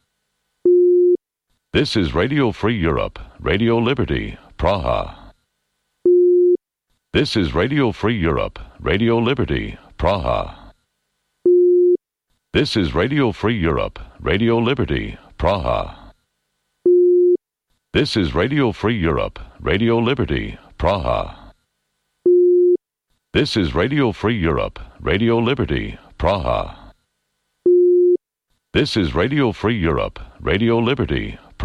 This is Radio Free Europe, Radio Liberty, Praha. This is Radio Free Europe, Radio Liberty, Praha. This is Radio Free Europe, Radio Liberty, Praha. This is Radio Free Europe, Radio Liberty, Praha. This is Radio Free Europe, Radio Liberty, Praha. This is Radio Free Europe, Radio Liberty, Praha. This is Radio Free Europe, Radio Liberty,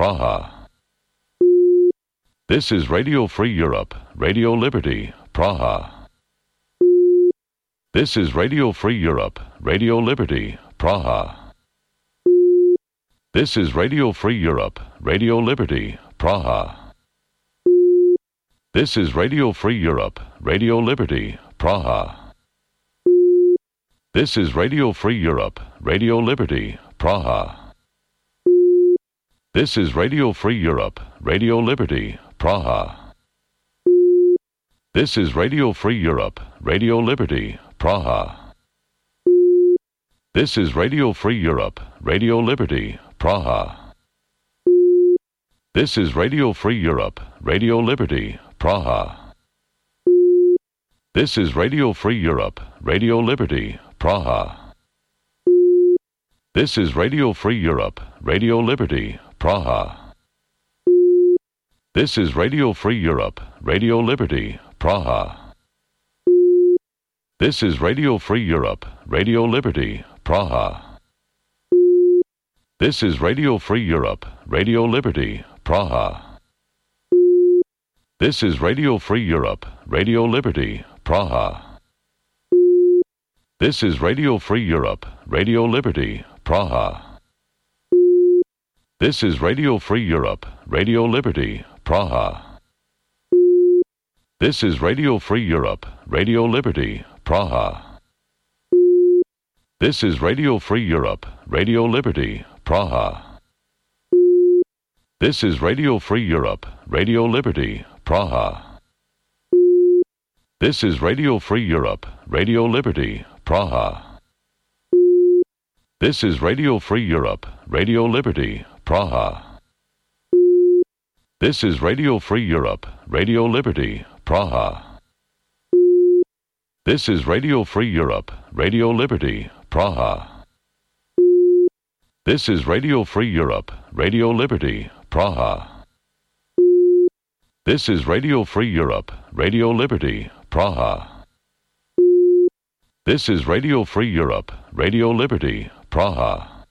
Praha. This is Radio Free Europe, Radio Liberty, Praha. This is Radio Free Europe, Radio Liberty, Praha. This is Radio Free Europe, Radio Liberty, Praha. This is Radio Free Europe, Radio Liberty, Praha. This is Radio Free Europe, Radio Liberty, Praha. This is Radio Free Europe, Radio Liberty, Praha. This is Radio Free Europe, Radio Liberty, Praha. This is Radio Free Europe, Radio Liberty, Praha. This is Radio Free Europe, Radio Liberty, Praha. This is Radio Free Europe, Radio Liberty, Praha. This is Radio Free Europe, Radio Liberty, Praha. This is Radio Free Europe, Radio Liberty, Praha. This is Radio Free Europe, Radio Liberty, Praha. This is Radio Free Europe, Radio Liberty, Praha. This is Radio Free Europe, Radio Liberty, Praha. This is Radio Free Europe, Radio Liberty, Praha. This is Radio Free Europe, Radio Liberty, Praha. This is Radio Free Europe, Radio Liberty, Praha. This is Radio Free Europe, Radio Liberty, Praha. This is Radio Free Europe, Radio Liberty, Praha. This is Radio Free Europe, Radio Liberty, Praha. This is Radio Free Europe, Radio Liberty, Praha. This is Radio Free Europe, Radio Liberty, Praha. This is Radio Free Europe, Radio Liberty, Praha. This is Radio Free Europe, Radio Liberty, Praha. This is Radio Free Europe, Radio Liberty, Praha.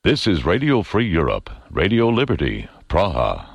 This is Radio Free Europe, Radio Liberty, Praha.